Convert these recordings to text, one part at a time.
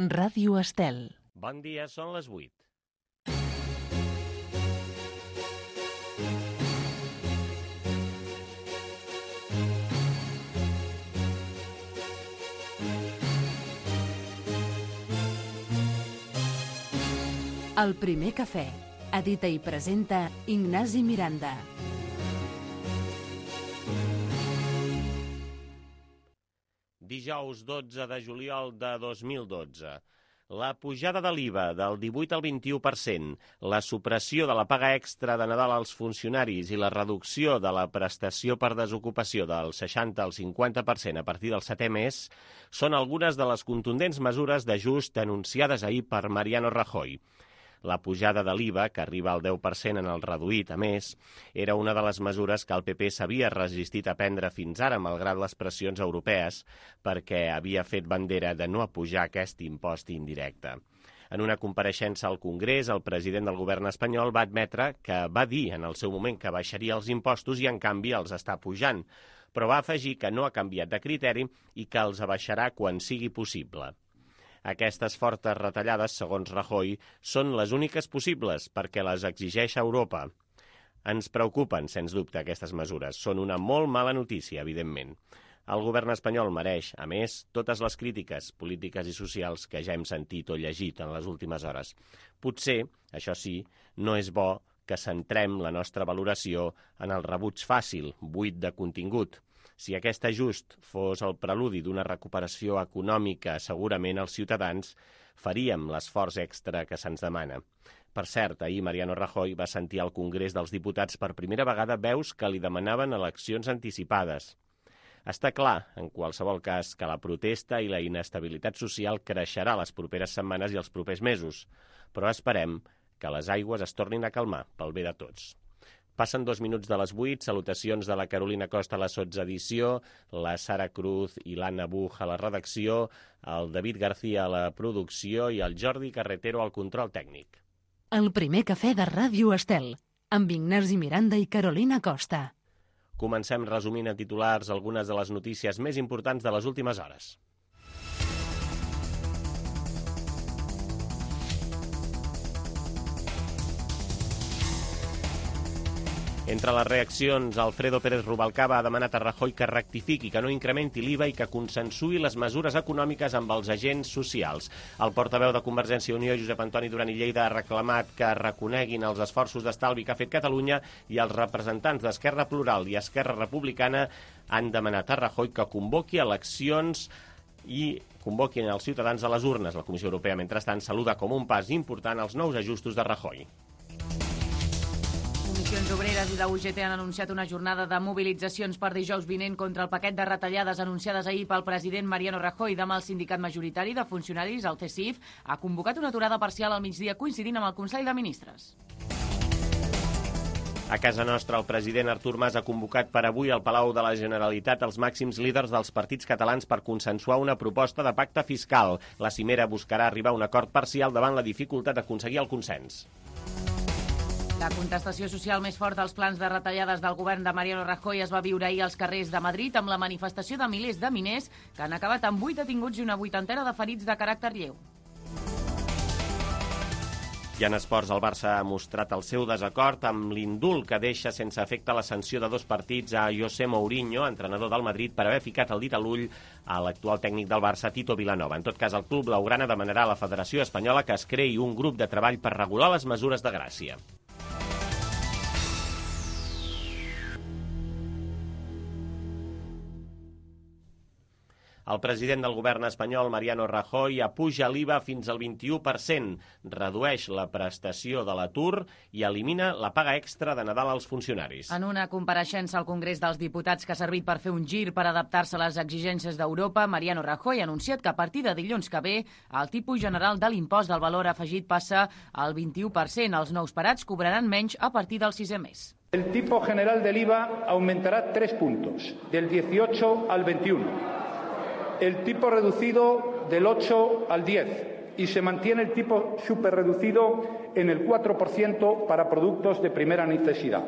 Ràdio Estel. Bon dia, són les 8. El primer cafè. Edita i presenta Ignasi Miranda. Dijous 12 de juliol de 2012. La pujada de l'IVA del 18 al 21%, la supressió de la paga extra de Nadal als funcionaris i la reducció de la prestació per desocupació del 60 al 50% a partir del 7è mes són algunes de les contundents mesures d'ajust anunciades ahir per Mariano Rajoy. La pujada de l'IVA, que arriba al 10% en el reduït, a més, era una de les mesures que el PP s'havia resistit a prendre fins ara, malgrat les pressions europees, perquè havia fet bandera de no apujar aquest impost indirecte. En una compareixença al Congrés, el president del govern espanyol va admetre que va dir en el seu moment que baixaria els impostos i, en canvi, els està pujant, però va afegir que no ha canviat de criteri i que els abaixarà quan sigui possible. Aquestes fortes retallades, segons Rajoy, són les úniques possibles perquè les exigeix Europa. Ens preocupen, sens dubte, aquestes mesures. Són una molt mala notícia, evidentment. El govern espanyol mereix, a més, totes les crítiques polítiques i socials que ja hem sentit o llegit en les últimes hores. Potser, això sí, no és bo que centrem la nostra valoració en el rebuig fàcil, buit de contingut. Si aquest ajust fos el preludi d'una recuperació econòmica, segurament els ciutadans faríem l'esforç extra que se'ns demana. Per cert, ahir Mariano Rajoy va sentir al Congrés dels Diputats per primera vegada veus que li demanaven eleccions anticipades. Està clar, en qualsevol cas, que la protesta i la inestabilitat social creixerà les properes setmanes i els propers mesos, però esperem que les aigües es tornin a calmar pel bé de tots. Passen 2 minuts de les 8, salutacions de la Carolina Costa a la sotsedició, la Sara Cruz i l'Anna Buch a la redacció, el David García a la producció i el Jordi Carretero al control tècnic. El primer cafè de Ràdio Estel, amb Ignasi Miranda i Carolina Costa. Comencem resumint en titulars algunes de les notícies més importants de les últimes hores. Entre les reaccions, Alfredo Pérez Rubalcaba ha demanat a Rajoy que rectifiqui, que no incrementi l'IVA i que consensuï les mesures econòmiques amb els agents socials. El portaveu de Convergència i Unió, Josep Antoni Duran i Lleida, ha reclamat que reconeguin els esforços d'estalvi que ha fet Catalunya i els representants d'Esquerra Plural i Esquerra Republicana han demanat a Rajoy que convoqui eleccions i convoquin els ciutadans a les urnes. La Comissió Europea, mentrestant, saluda com un pas important els nous ajustos de Rajoy. Comissions Obreres i la UGT han anunciat una jornada de mobilitzacions per dijous vinent contra el paquet de retallades anunciades ahir pel president Mariano Rajoy. Demà el sindicat majoritari de funcionaris, el CSIF, ha convocat una aturada parcial al migdia coincidint amb el Consell de Ministres. A casa nostra, el president Artur Mas ha convocat per avui al Palau de la Generalitat els màxims líders dels partits catalans per consensuar una proposta de pacte fiscal. La cimera buscarà arribar a un acord parcial davant la dificultat d'aconseguir el consens. La contestació social més forta als plans de retallades del govern de Mariano Rajoy es va viure ahir als carrers de Madrid amb la manifestació de milers de miners que han acabat amb 8 detinguts i una 80ena de ferits de caràcter lleu. I en esports, el Barça ha mostrat el seu desacord amb l'indult que deixa sense efecte la sanció de 2 partits a José Mourinho, entrenador del Madrid, per haver ficat el dit a l'ull a l'actual tècnic del Barça, Tito Vilanova. En tot cas, el club blaugrana demanarà a la Federació Espanyola que es creï un grup de treball per regular les mesures de gràcia. El president del govern espanyol, Mariano Rajoy, apuja l'IVA fins al 21%, redueix la prestació de l'atur i elimina la paga extra de Nadal als funcionaris. En una compareixença al Congrés dels Diputats que ha servit per fer un gir per adaptar-se a les exigències d'Europa, Mariano Rajoy ha anunciat que a partir de dilluns que ve el tipus general de l'impost del valor afegit passa al 21%. Els nous parats cobraran menys a partir del 6è mes. El tipo general del IVA aumentará 3 puntos, del 18 al 21. El tipo reducido del 8 al 10 y se mantiene el tipo superreducido en el 4% para productos de primera necesidad.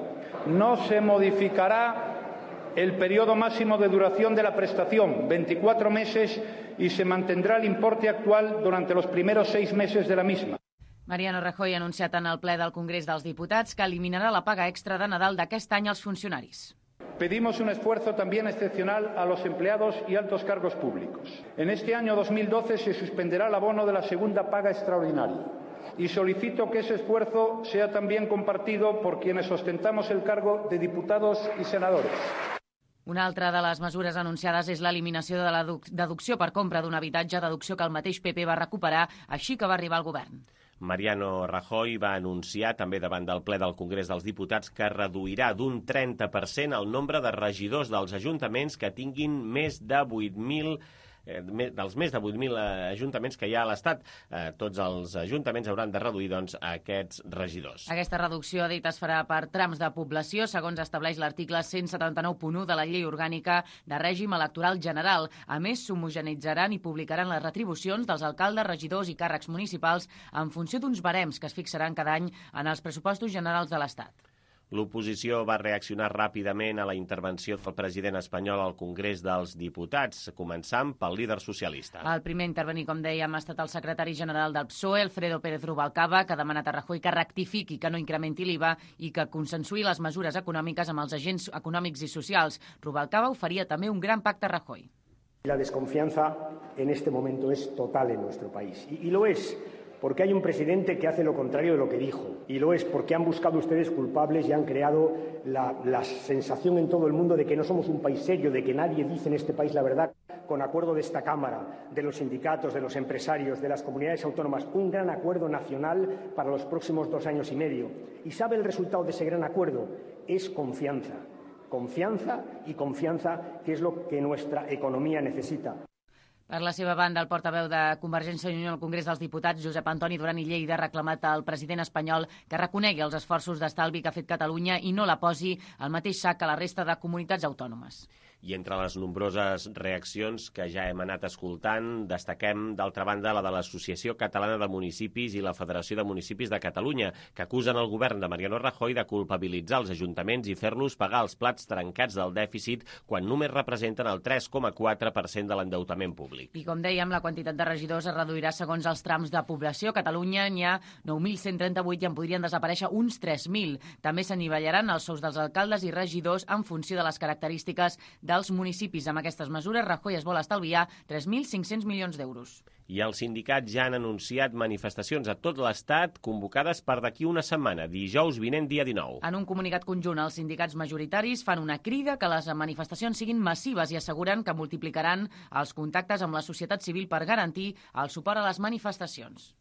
No se modificará el periodo máximo de duración de la prestación, 24 meses, y se mantendrá el importe actual durante los primeros 6 meses de la misma. Mariano Rajoy ha anunciat en el ple del Congrés dels Diputats que eliminarà la paga extra de Nadal d'aquest any als funcionaris. Pedimos un esfuerzo también excepcional a los empleados y altos cargos públicos. En este año 2012 se suspenderá el abono de la segunda paga extraordinaria y solicito que ese esfuerzo sea también compartido por quienes ostentamos el cargo de diputados y senadores. Una altra de les mesures anunciades és l'eliminació de la deducció per compra d'un habitatge, deducció que el mateix PP va recuperar, així que va arribar al govern. Mariano Rajoy va anunciar també davant del ple del Congrés dels Diputats que reduirà d'un 30% el nombre de regidors dels ajuntaments que tinguin més de 8.000 dels més de 8.000 ajuntaments que hi ha a l'Estat. Tots els ajuntaments hauran de reduir aquests regidors. Aquesta reducció, ha dit, es farà per trams de població, segons estableix l'article 179.1 de la Llei Orgànica de Règim Electoral General. A més, s'homogenitzaran i publicaran les retribucions dels alcaldes, regidors i càrrecs municipals en funció d'uns barems que es fixaran cada any en els pressupostos generals de l'Estat. L'oposició va reaccionar ràpidament a la intervenció del president espanyol al Congrés dels Diputats, començant pel líder socialista. El primer a intervenir, com dèiem, ha estat el secretari general del PSOE, Alfredo Pérez Rubalcaba, que ha demanat a Rajoy que rectifiqui, que no incrementi l'IVA i que consensuï les mesures econòmiques amb els agents econòmics i socials. Rubalcaba oferia també un gran pacte a Rajoy. La desconfianza en este momento es total en nuestro país. Y lo es porque hay un presidente que hace lo contrario de lo que dijo. Y lo es porque han buscado ustedes culpables y han creado la sensación en todo el mundo de que no somos un país serio, de que nadie dice en este país la verdad. Con acuerdo de esta Cámara, de los sindicatos, de los empresarios, de las comunidades autónomas, un gran acuerdo nacional para los próximos 2 años y medio. ¿Y sabe el resultado de ese gran acuerdo? Es confianza. Confianza y confianza, que es lo que nuestra economía necesita. Per la seva banda, el portaveu de Convergència i Unió al Congrés dels Diputats, Josep Antoni Duran i Lleida, ha reclamat al president espanyol que reconegui els esforços d'estalvi que ha fet Catalunya i no la posi al mateix sac que la resta de comunitats autònomes. I entre les nombroses reaccions que ja hem anat escoltant, destaquem, d'altra banda, la de l'Associació Catalana de Municipis i la Federació de Municipis de Catalunya, que acusen el govern de Mariano Rajoy de culpabilitzar els ajuntaments i fer-los pagar els plats trencats del dèficit quan només representen el 3,4% de l'endeutament públic. I com dèiem, la quantitat de regidors es reduirà segons els trams de població. A Catalunya n'hi ha 9.138 i en podrien desaparèixer uns 3.000. També s'anivellaran els sous dels alcaldes i regidors en funció de les característiques dels municipis. Amb aquestes mesures, Rajoy es vol estalviar 3.500 milions d'euros. I els sindicats ja han anunciat manifestacions a tot l'Estat convocades per d'aquí una setmana, dijous vinent, dia 19. En un comunicat conjunt, els sindicats majoritaris fan una crida que les manifestacions siguin massives i asseguren que multiplicaran els contactes amb la societat civil per garantir el suport a les manifestacions.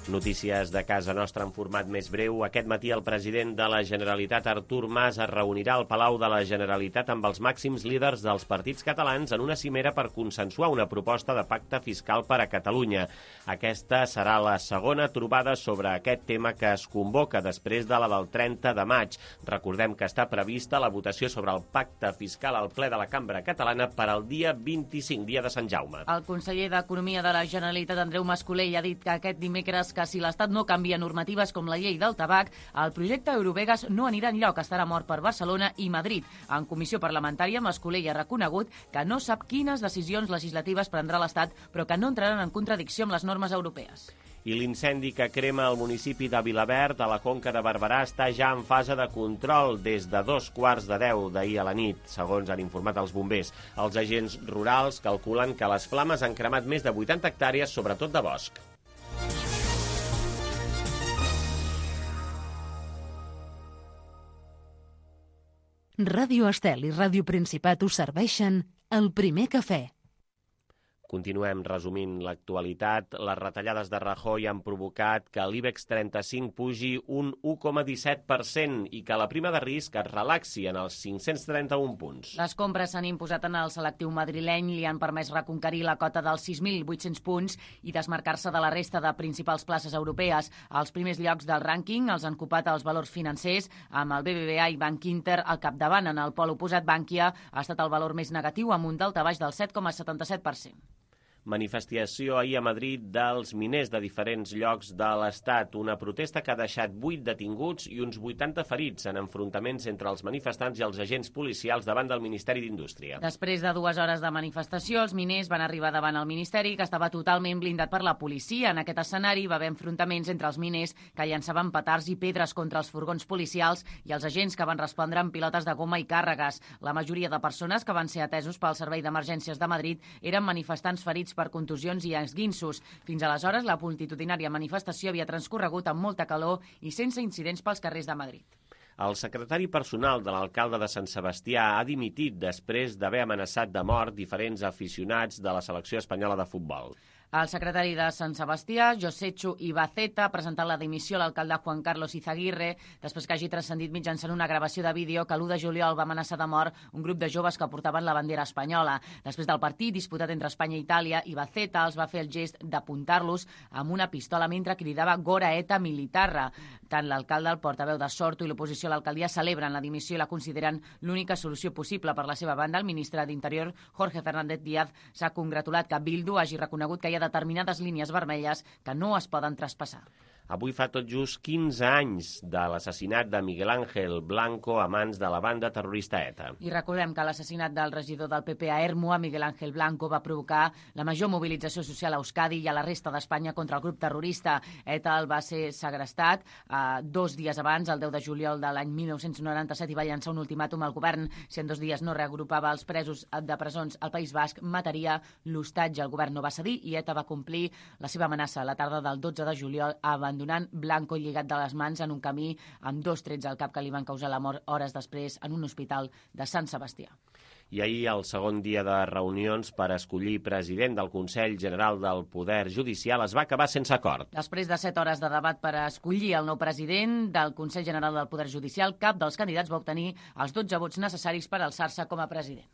Notícies de casa nostra en format més breu. Aquest matí el president de la Generalitat, Artur Mas, es reunirà al Palau de la Generalitat amb els màxims líders dels partits catalans en una cimera per consensuar una proposta de pacte fiscal per a Catalunya. Aquesta serà la segona trobada sobre aquest tema que es convoca després de la del 30 de maig. Recordem que està prevista la votació sobre el pacte fiscal al ple de la Cambra Catalana per al dia 25, dia de Sant Jaume. El conseller d'Economia de la Generalitat, Andreu Mas-Colell, ha dit que aquest dimecres que si l'Estat no canvia normatives com la llei del tabac, el projecte Eurovegas no anirà enlloc, estarà mort per Barcelona i Madrid. En comissió parlamentària, Mas-Colell ha reconegut que no sap quines decisions legislatives prendrà l'Estat, però que no entraran en contradicció amb les normes europees. I l'incendi que crema el municipi de Vilaverd, a la Conca de Barberà, està ja en fase de control des de 9:45 d'ahir a la nit, segons han informat els bombers. Els agents rurals calculen que les flames han cremat més de 80 hectàrees, sobretot de bosc. Ràdio Estel i Ràdio Principat us serveixen el primer cafè. Continuem resumint l'actualitat. Les retallades de Rajoy han provocat que l'IBEX 35 pugi un 1,17% i que la prima de risc es relaxi en els 531 punts. Les compres s'han imposat en el selectiu madrileny, li han permès reconquerir la cota dels 6.800 punts i desmarcar-se de la resta de principals places europees. Els primers llocs del rànquing els han ocupat els valors financers, amb el BBVA i Bank Inter al capdavant. En el pol oposat, Bankia ha estat el valor més negatiu, amb un daltabaix del 7,77%. Manifestació ahir a Madrid dels miners de diferents llocs de l'Estat. Una protesta que ha deixat 8 detinguts i uns 80 ferits en enfrontaments entre els manifestants i els agents policials davant del Ministeri d'Indústria. Després de 2 hores de manifestació, els miners van arribar davant el Ministeri, que estava totalment blindat per la policia. En aquest escenari va haver enfrontaments entre els miners que llançaven petards i pedres contra els furgons policials i els agents que van respondre amb pilotes de goma i càrregues. La majoria de persones que van ser atesos pel Servei d'Emergències de Madrid eren manifestants ferits per contusions i esguinços. Fins aleshores, la multitudinària manifestació havia transcorregut amb molta calor i sense incidents pels carrers de Madrid. El secretari personal de l'alcalde de Sant Sebastià ha dimitit després d'haver amenaçat de mort diferents aficionats de la selecció espanyola de futbol. El secretari de Sant Sebastià, Josechu Ibaceta, ha presentat la dimissió a l'alcalde Juan Carlos Izaguirre després que hagi transcendit mitjançant una gravació de vídeo que l'1 de juliol va amenaçar de mort un grup de joves que portaven la bandera espanyola. Després del partit disputat entre Espanya i Itàlia, Ibaceta els va fer el gest d'apuntar-los amb una pistola mentre cridava Gora eta militarra. Tant l'alcalde, el portaveu de Sortu i l'oposició a l'alcaldia celebren la dimissió i la consideren l'única solució possible. Per la seva banda, el ministre d'Interior, Jorge Fernández Díaz, s'ha congratulat que Bildu hagi reconegut que hi ha determinades línies vermelles que no es poden traspassar. Avui fa tot just 15 anys de l'assassinat de Miguel Ángel Blanco a mans de la banda terrorista ETA. I recordem que l'assassinat del regidor del PP a Ermua, Miguel Ángel Blanco, va provocar la major mobilització social a Euskadi i a la resta d'Espanya contra el grup terrorista. ETA el va ser segrestat 2 dies abans, el 10 de juliol de l'any 1997, i va llançar un ultimàtum al govern. Si en 2 dies no reagrupava els presos de presons al País Basc, mataria l'hostatge. El govern no va cedir i ETA va complir la seva amenaça la tarda del 12 de juliol, abandonant Blanco lligat de les mans en un camí amb 2 trets al cap que li van causar la mort hores després en un hospital de Sant Sebastià. I ahir, el segon dia de reunions per escollir president del Consell General del Poder Judicial es va acabar sense acord. Després de 7 hores de debat per escollir el nou president del Consell General del Poder Judicial, cap dels candidats va obtenir els 12 vots necessaris per alçar-se com a president.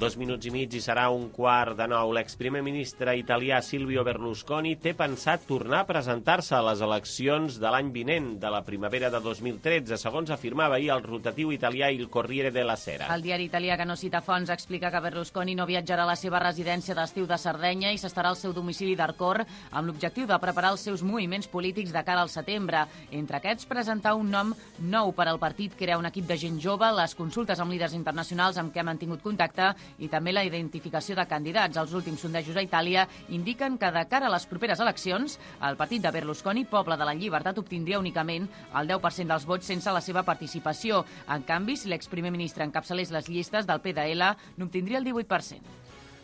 Dos minuts i mig i serà 8:45. L'exprimer ministre italià Silvio Berlusconi té pensat tornar a presentar-se a les eleccions de l'any vinent, de la primavera de 2013, segons afirmava ahir el rotatiu italià Il Corriere della Sera. El diari italià, que no cita fonts, explica que Berlusconi no viatjarà a la seva residència d'estiu de Sardenya i s'estarà al seu domicili d'Arcor amb l'objectiu de preparar els seus moviments polítics de cara al setembre. Entre aquests, presentar un nom nou per al partit, crear un equip de gent jove, les consultes amb líders internacionals amb què ha mantingut contacte i també la identificació de candidats. Els últims sondejos a Itàlia indiquen que de cara a les properes eleccions, el partit de Berlusconi, Poble de la Llibertat, obtindria únicament el 10% dels vots sense la seva participació. En canvi, si l'exprimer ministre encapçalés les llistes del PDL, n'obtindria el 18%.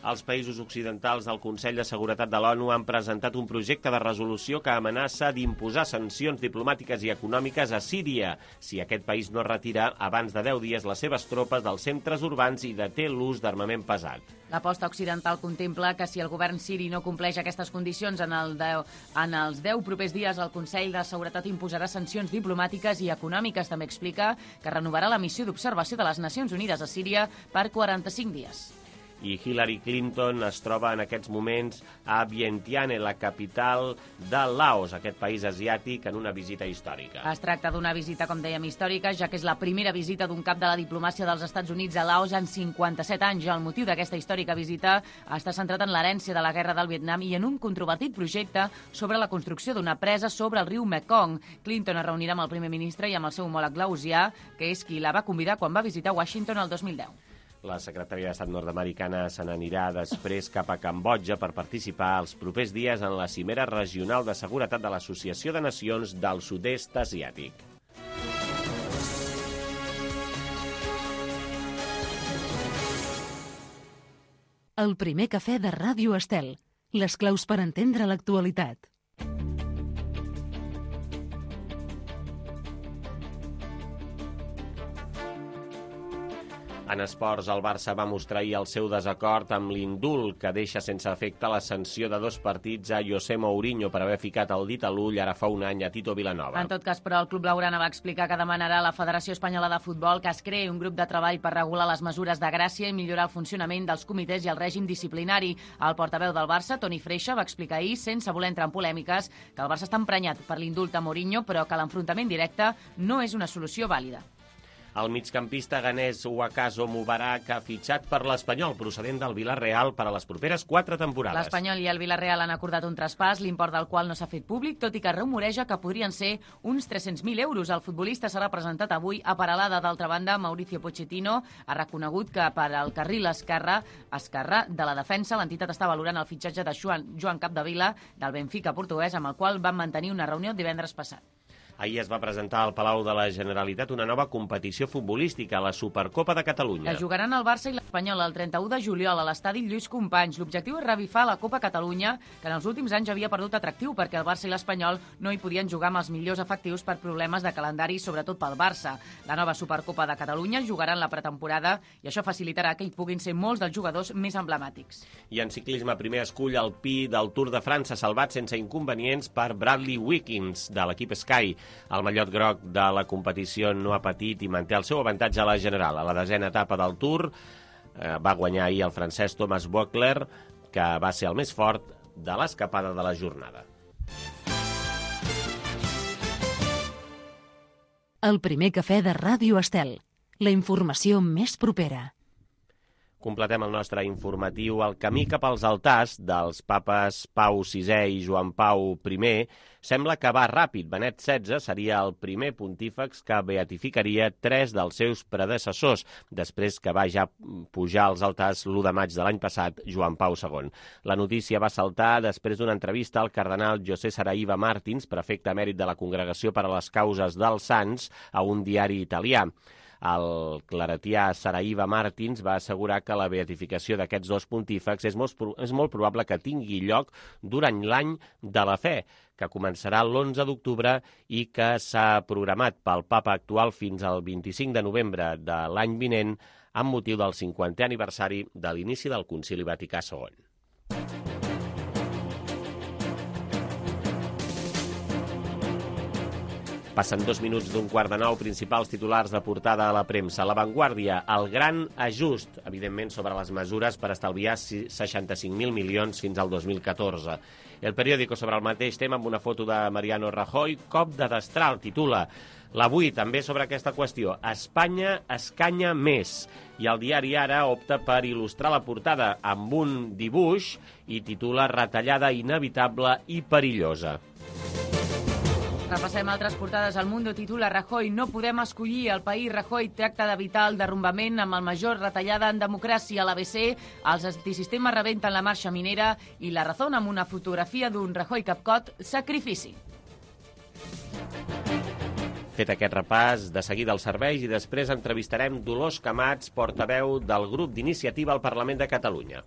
Els països occidentals del Consell de Seguretat de l'ONU han presentat un projecte de resolució que amenaça d'imposar sancions diplomàtiques i econòmiques a Síria si aquest país no retira abans de 10 dies les seves tropes dels centres urbans i deté l'ús d'armament pesat. L'aposta occidental contempla que si el govern siri no compleix aquestes condicions en els 10 propers dies, el Consell de Seguretat imposarà sancions diplomàtiques i econòmiques. També explica que renovarà la missió d'observació de les Nacions Unides a Síria per 45 dies. I Hillary Clinton es troba en aquests moments a Vientiane, la capital de Laos, aquest país asiàtic, en una visita històrica. Es tracta d'una visita, com dèiem, històrica, ja que és la primera visita d'un cap de la diplomàcia dels Estats Units a Laos en 57 anys. El motiu d'aquesta històrica visita està centrat en l'herència de la guerra del Vietnam i en un controvertit projecte sobre la construcció d'una presa sobre el riu Mekong. Clinton es reunirà amb el primer ministre i amb el seu homòleg laosià, que és qui la va convidar quan va visitar Washington el 2010. La secretària d'Estat nord-americana se n'anirà després cap a Cambodja per participar els propers dies en la cimera regional de seguretat de l'Associació de Nacions del Sud-est Asiàtic. El primer cafè de Ràdio Estel. Les claus per entendre l'actualitat. En esports, el Barça va mostrar ahir el seu desacord amb l'indult que deixa sense efecte la sanció de 2 partits a José Mourinho per haver ficat el dit a l'ull ara fa un any a Tito Vilanova. En tot cas, però, el club blaugrana va explicar que demanarà a la Federació Espanyola de Futbol que es creï un grup de treball per regular les mesures de gràcia i millorar el funcionament dels comitès i el règim disciplinari. El portaveu del Barça, Toni Freixa, va explicar ahir, sense voler entrar en polèmiques, que el Barça està emprenyat per l'indult a Mourinho, però que l'enfrontament directe no és una solució vàlida. El migcampista ganès Wakaso Mubarak ha fitxat per l'Espanyol, procedent del Villarreal, per a les properes 4 temporades. L'Espanyol i el Villarreal han acordat un traspàs, l'import del qual no s'ha fet públic, tot i que rumoreja que podrien ser uns 300.000 euros. El futbolista serà presentat avui a Peralada. D'altra banda, Mauricio Pochettino ha reconegut que per al carril esquerre de la defensa l'entitat està valorant el fitxatge de Joan Capdevila del Benfica portuguès, amb el qual van mantenir una reunió divendres passat. Ahir es va presentar al Palau de la Generalitat una nova competició futbolística, la Supercopa de Catalunya. La jugaran el Barça i l'Espanyol el 31 de juliol a l'estadi Lluís Companys. L'objectiu és revifar la Copa Catalunya, que en els últims anys havia perdut atractiu perquè el Barça i l'Espanyol no hi podien jugar amb els millors efectius per problemes de calendari, sobretot pel Barça. La nova Supercopa de Catalunya jugarà en la pretemporada i això facilitarà que hi puguin ser molts dels jugadors més emblemàtics. I en ciclisme, primer escull alpí del Tour de França, salvat sense inconvenients per Bradley Wiggins, de l'equip Sky. El mallot groc de la competició no ha patit i manté el seu avantatge a la general. A la 10a etapa del Tour va guanyar ahir el francès Thomas Voeckler, que va ser el més fort de l'escapada de la jornada. El primer cafè de Ràdio Estel. La informació més propera. Completem el nostre informatiu. El camí cap als altars dels papes Pau VI i Joan Pau I sembla que va ràpid. Benet XVI seria el primer pontífex que beatificaria 3 dels seus predecessors, després que va ja pujar als altars l'1 de maig de l'any passat Joan Pau II. La notícia va saltar després d'una entrevista al cardenal José Saraiva Martins, prefecte emèrit de la Congregació per a les Causes dels Sants, a un diari italià. El claretià Saraiva Martins va assegurar que la beatificació d'aquests 2 pontífex és molt probable que tingui lloc durant l'any de la fe, que començarà l'11 d'octubre i que s'ha programat pel papa actual fins al 25 de novembre de l'any vinent amb motiu del 50è aniversari de l'inici del Concili Vaticà II. Passen 2 minuts d'un 8:45, principals titulars de portada a la premsa. La Vanguardia, el gran ajust, evidentment, sobre les mesures per estalviar 65.000 milions fins al 2014. El periòdico sobre el mateix tema amb una foto de Mariano Rajoy, cop de destral, titula. L'Avui també sobre aquesta qüestió. Espanya escanya més. I el diari Ara opta per il·lustrar la portada amb un dibuix i titula Retallada inevitable i perillosa. Repassem altres portades. El Mundo titula Rajoy, no podem escollir el país. Rajoy tracta d'evitar el derrumbament amb el major retallada en democràcia. A l'ABC, els antisistemes rebenten la marxa minera i La Razón amb una fotografia d'un Rajoy capcot, sacrifici. Fet aquest repàs, de seguida els serveis i després entrevistarem Dolors Camats, portaveu del grup d'iniciativa al Parlament de Catalunya.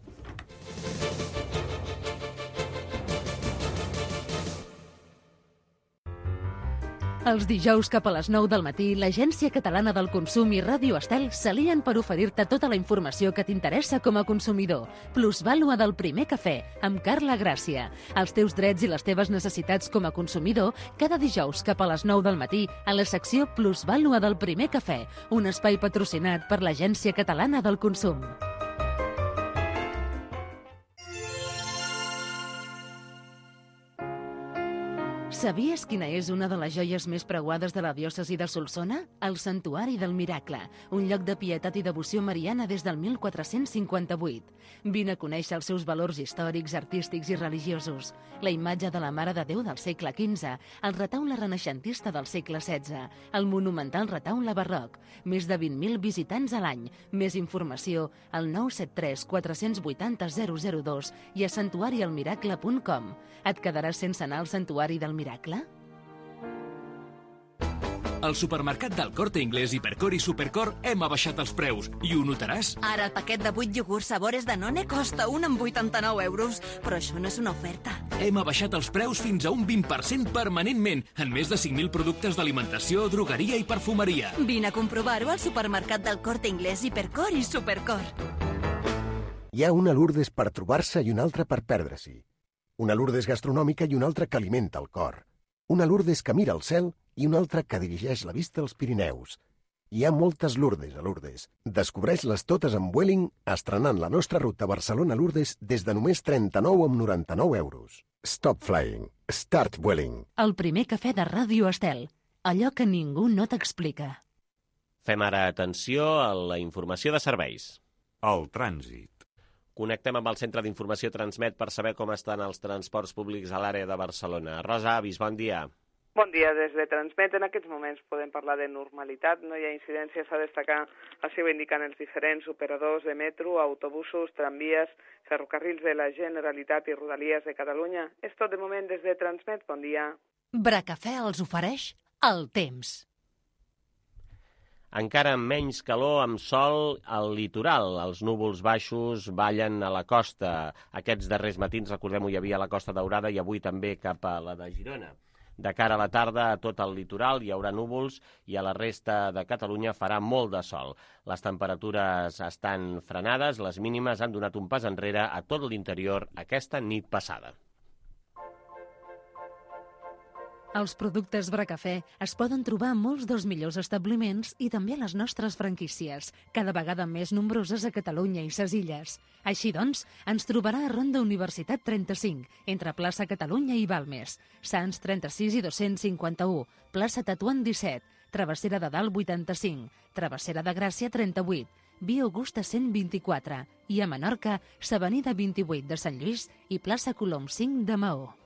Els dijous cap a les 9 del matí, l'Agència Catalana del Consum i Ràdio Estel s'alien per oferir-te tota la informació que t'interessa com a consumidor. Plusvàlua del primer cafè, amb Carla Gràcia. Els teus drets i les teves necessitats com a consumidor, cada dijous cap a les 9 del matí, a la secció Plusvàlua del primer cafè, un espai patrocinat per l'Agència Catalana del Consum. Sabies quina és una de les joies més preuades de la diòcesi de Solsona? El Santuari del Miracle, un lloc de pietat i devoció mariana des del 1458. Vine a conèixer els seus valors històrics, artístics i religiosos. La imatge de la Mare de Déu del segle XV, el retaule renaixentista del segle XVI, el monumental retaule barroc, més de 20.000 visitants a l'any. Més informació al 973 480 002 i a santuarialmiracle.com. Et quedaràs sense anar al Santuari del Miracle? Al supermercat del Corte Inglés, Hipercor i Supercor hem abaixat els preus i ho notaràs. Ara el paquet de 8 iogurts sabores Danone costa un amb 89 euros, però això no és una oferta. Hem abaixat els preus fins a un 20% permanentment en més de 5.000 productes d'alimentació, drogueria i perfumeria. Vine a comprovar-ho al supermercat del Corte Inglés, Hipercor i Supercor. Hi ha una Lourdes per trobar-se i una altra per perdre-s'hi. Una Lourdes gastronòmica i una altra que alimenta el cor. Una Lourdes que mira al cel i una altra que dirigeix la vista als Pirineus. Hi ha moltes Lourdes a Lourdes. Descobreix-les totes amb Vueling, estrenant la nostra ruta Barcelona-Lourdes des de només 39,99 euros. Stop flying. Start Vueling. El primer cafè de Ràdio Estel. Allò que ningú no t'explica. Fem ara atenció a la informació de serveis. El trànsit. Connectem amb el Centre d'Informació Transmet per saber com estan els transports públics a l'àrea de Barcelona. Rosa Avis, bon dia. Bon dia, des de Transmet. En aquests moments podem parlar de normalitat. No hi ha incidències a destacar. Així ho indiquen els diferents operadors de metro, autobusos, tramvies, ferrocarrils de la Generalitat i Rodalies de Catalunya. És tot de moment des de Transmet. Bon dia. Bracafè els ofereix el temps. Encara amb menys calor, amb sol al litoral. Els núvols baixos ballen a la costa. Aquests darrers matins, recordem-ho, hi havia a la Costa Daurada i avui també cap a la de Girona. De cara a la tarda, a tot el litoral hi haurà núvols i a la resta de Catalunya farà molt de sol. Les temperatures estan frenades, les mínimes han donat un pas enrere a tot l'interior aquesta nit passada. Els productes Bracafè es poden trobar a molts dels millors establiments i també a les nostres franquícies, cada vegada més nombroses a Catalunya i ses illes. Així doncs, ens trobarà a Ronda Universitat 35, entre plaça Catalunya i Balmes, Sants 36 i 251, plaça Tatuant 17, Travessera de Dalt 85, Travessera de Gràcia 38, Via Augusta 124 i a Menorca, s'Avenida 28 de Sant Lluís i plaça Colom 5 de Maó.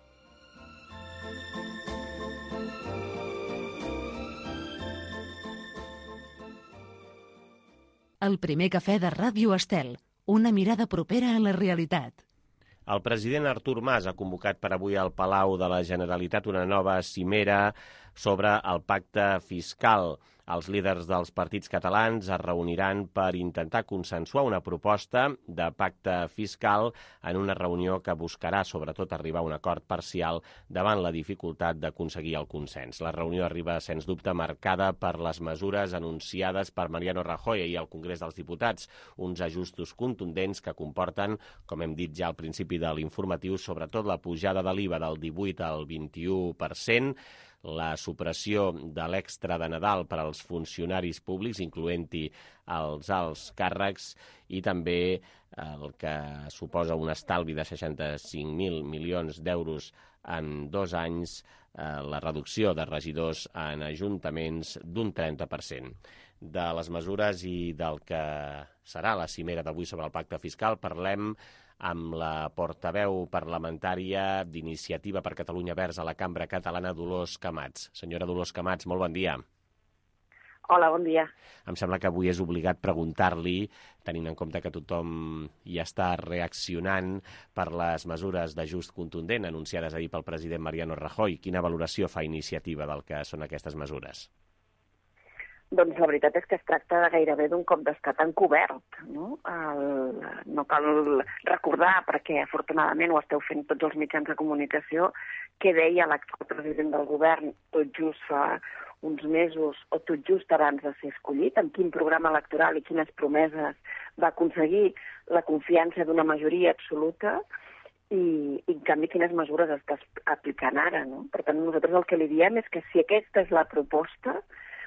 El primer cafè de Ràdio Estel, una mirada propera a la realitat. El president Artur Mas ha convocat per avui al Palau de la Generalitat una nova cimera sobre el pacte fiscal. Els líders dels partits catalans es reuniran per intentar consensuar una proposta de pacte fiscal en una reunió que buscarà sobretot arribar a un acord parcial davant la dificultat d'aconseguir el consens. La reunió arriba, sens dubte, marcada per les mesures anunciades per Mariano Rajoy ahir al Congrés dels Diputats, uns ajustos contundents que comporten, com hem dit ja al principi de l'informatiu, sobretot la pujada de l'IVA del 18 al 21%, la supressió de l'extra de Nadal per als funcionaris públics, incloent-hi els alts càrrecs, i també el que suposa un estalvi de 65.000 milions d'euros en 2 anys, la reducció de regidors en ajuntaments d'un 30%. De les mesures i del que serà la cimera d'avui sobre el pacte fiscal parlem amb la portaveu parlamentària d'Iniciativa per Catalunya Verds a la Cambra Catalana, Dolors Camats. Senyora Dolors Camats, molt bon dia. Hola, bon dia. Em sembla que avui és obligat preguntar-li, tenint en compte que tothom hi està reaccionant per les mesures d'ajust contundent anunciades ahir pel president Mariano Rajoy. Quina valoració fa Iniciativa del que són aquestes mesures? Doncs la veritat és que es tracta de gairebé d'un cop d'estat encobert, no? No cal recordar, perquè afortunadament ho esteu fent tots els mitjans de comunicació, què deia l'actual president del govern tot just fa uns mesos o tot just abans de ser escollit, amb quin programa electoral i quines promeses va aconseguir la confiança d'una majoria absoluta i en canvi quines mesures està aplicant ara, no? Per tant, nosaltres el que li diem és que si aquesta és la proposta,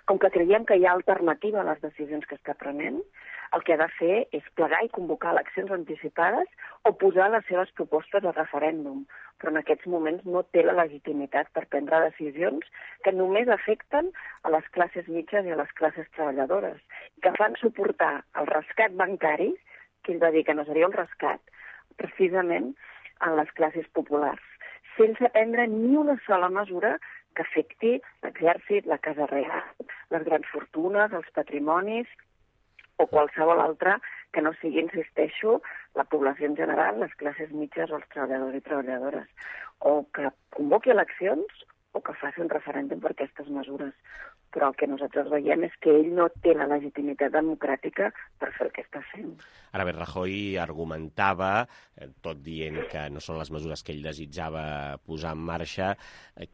com que creiem que hi ha alternativa a les decisions que està prenent, el que ha de fer és plegar i convocar eleccions anticipades o posar les seves propostes a referèndum. Però en aquests moments no té la legitimitat per prendre decisions que només afecten a les classes mitjanes i a les classes treballadores, que fan suportar el rescat bancari, que ell va dir que no seria un rescat, precisament en les classes populars, sense prendre ni una sola mesura que afecti l'exèrcit, la Casa Reial, les grans fortunes, els patrimonis o qualsevol altra que no sigui, insisteixo, la població en general, les classes mitjanes o els treballadors i treballadores. O que convoqui eleccions o que faci un referèndum per aquestes mesures. però el que nosaltres veiem és que ell no té la legitimitat democràtica per fer el que està fent. Ara bé, Rajoy argumentava, tot dient que no són les mesures que ell desitjava posar en marxa,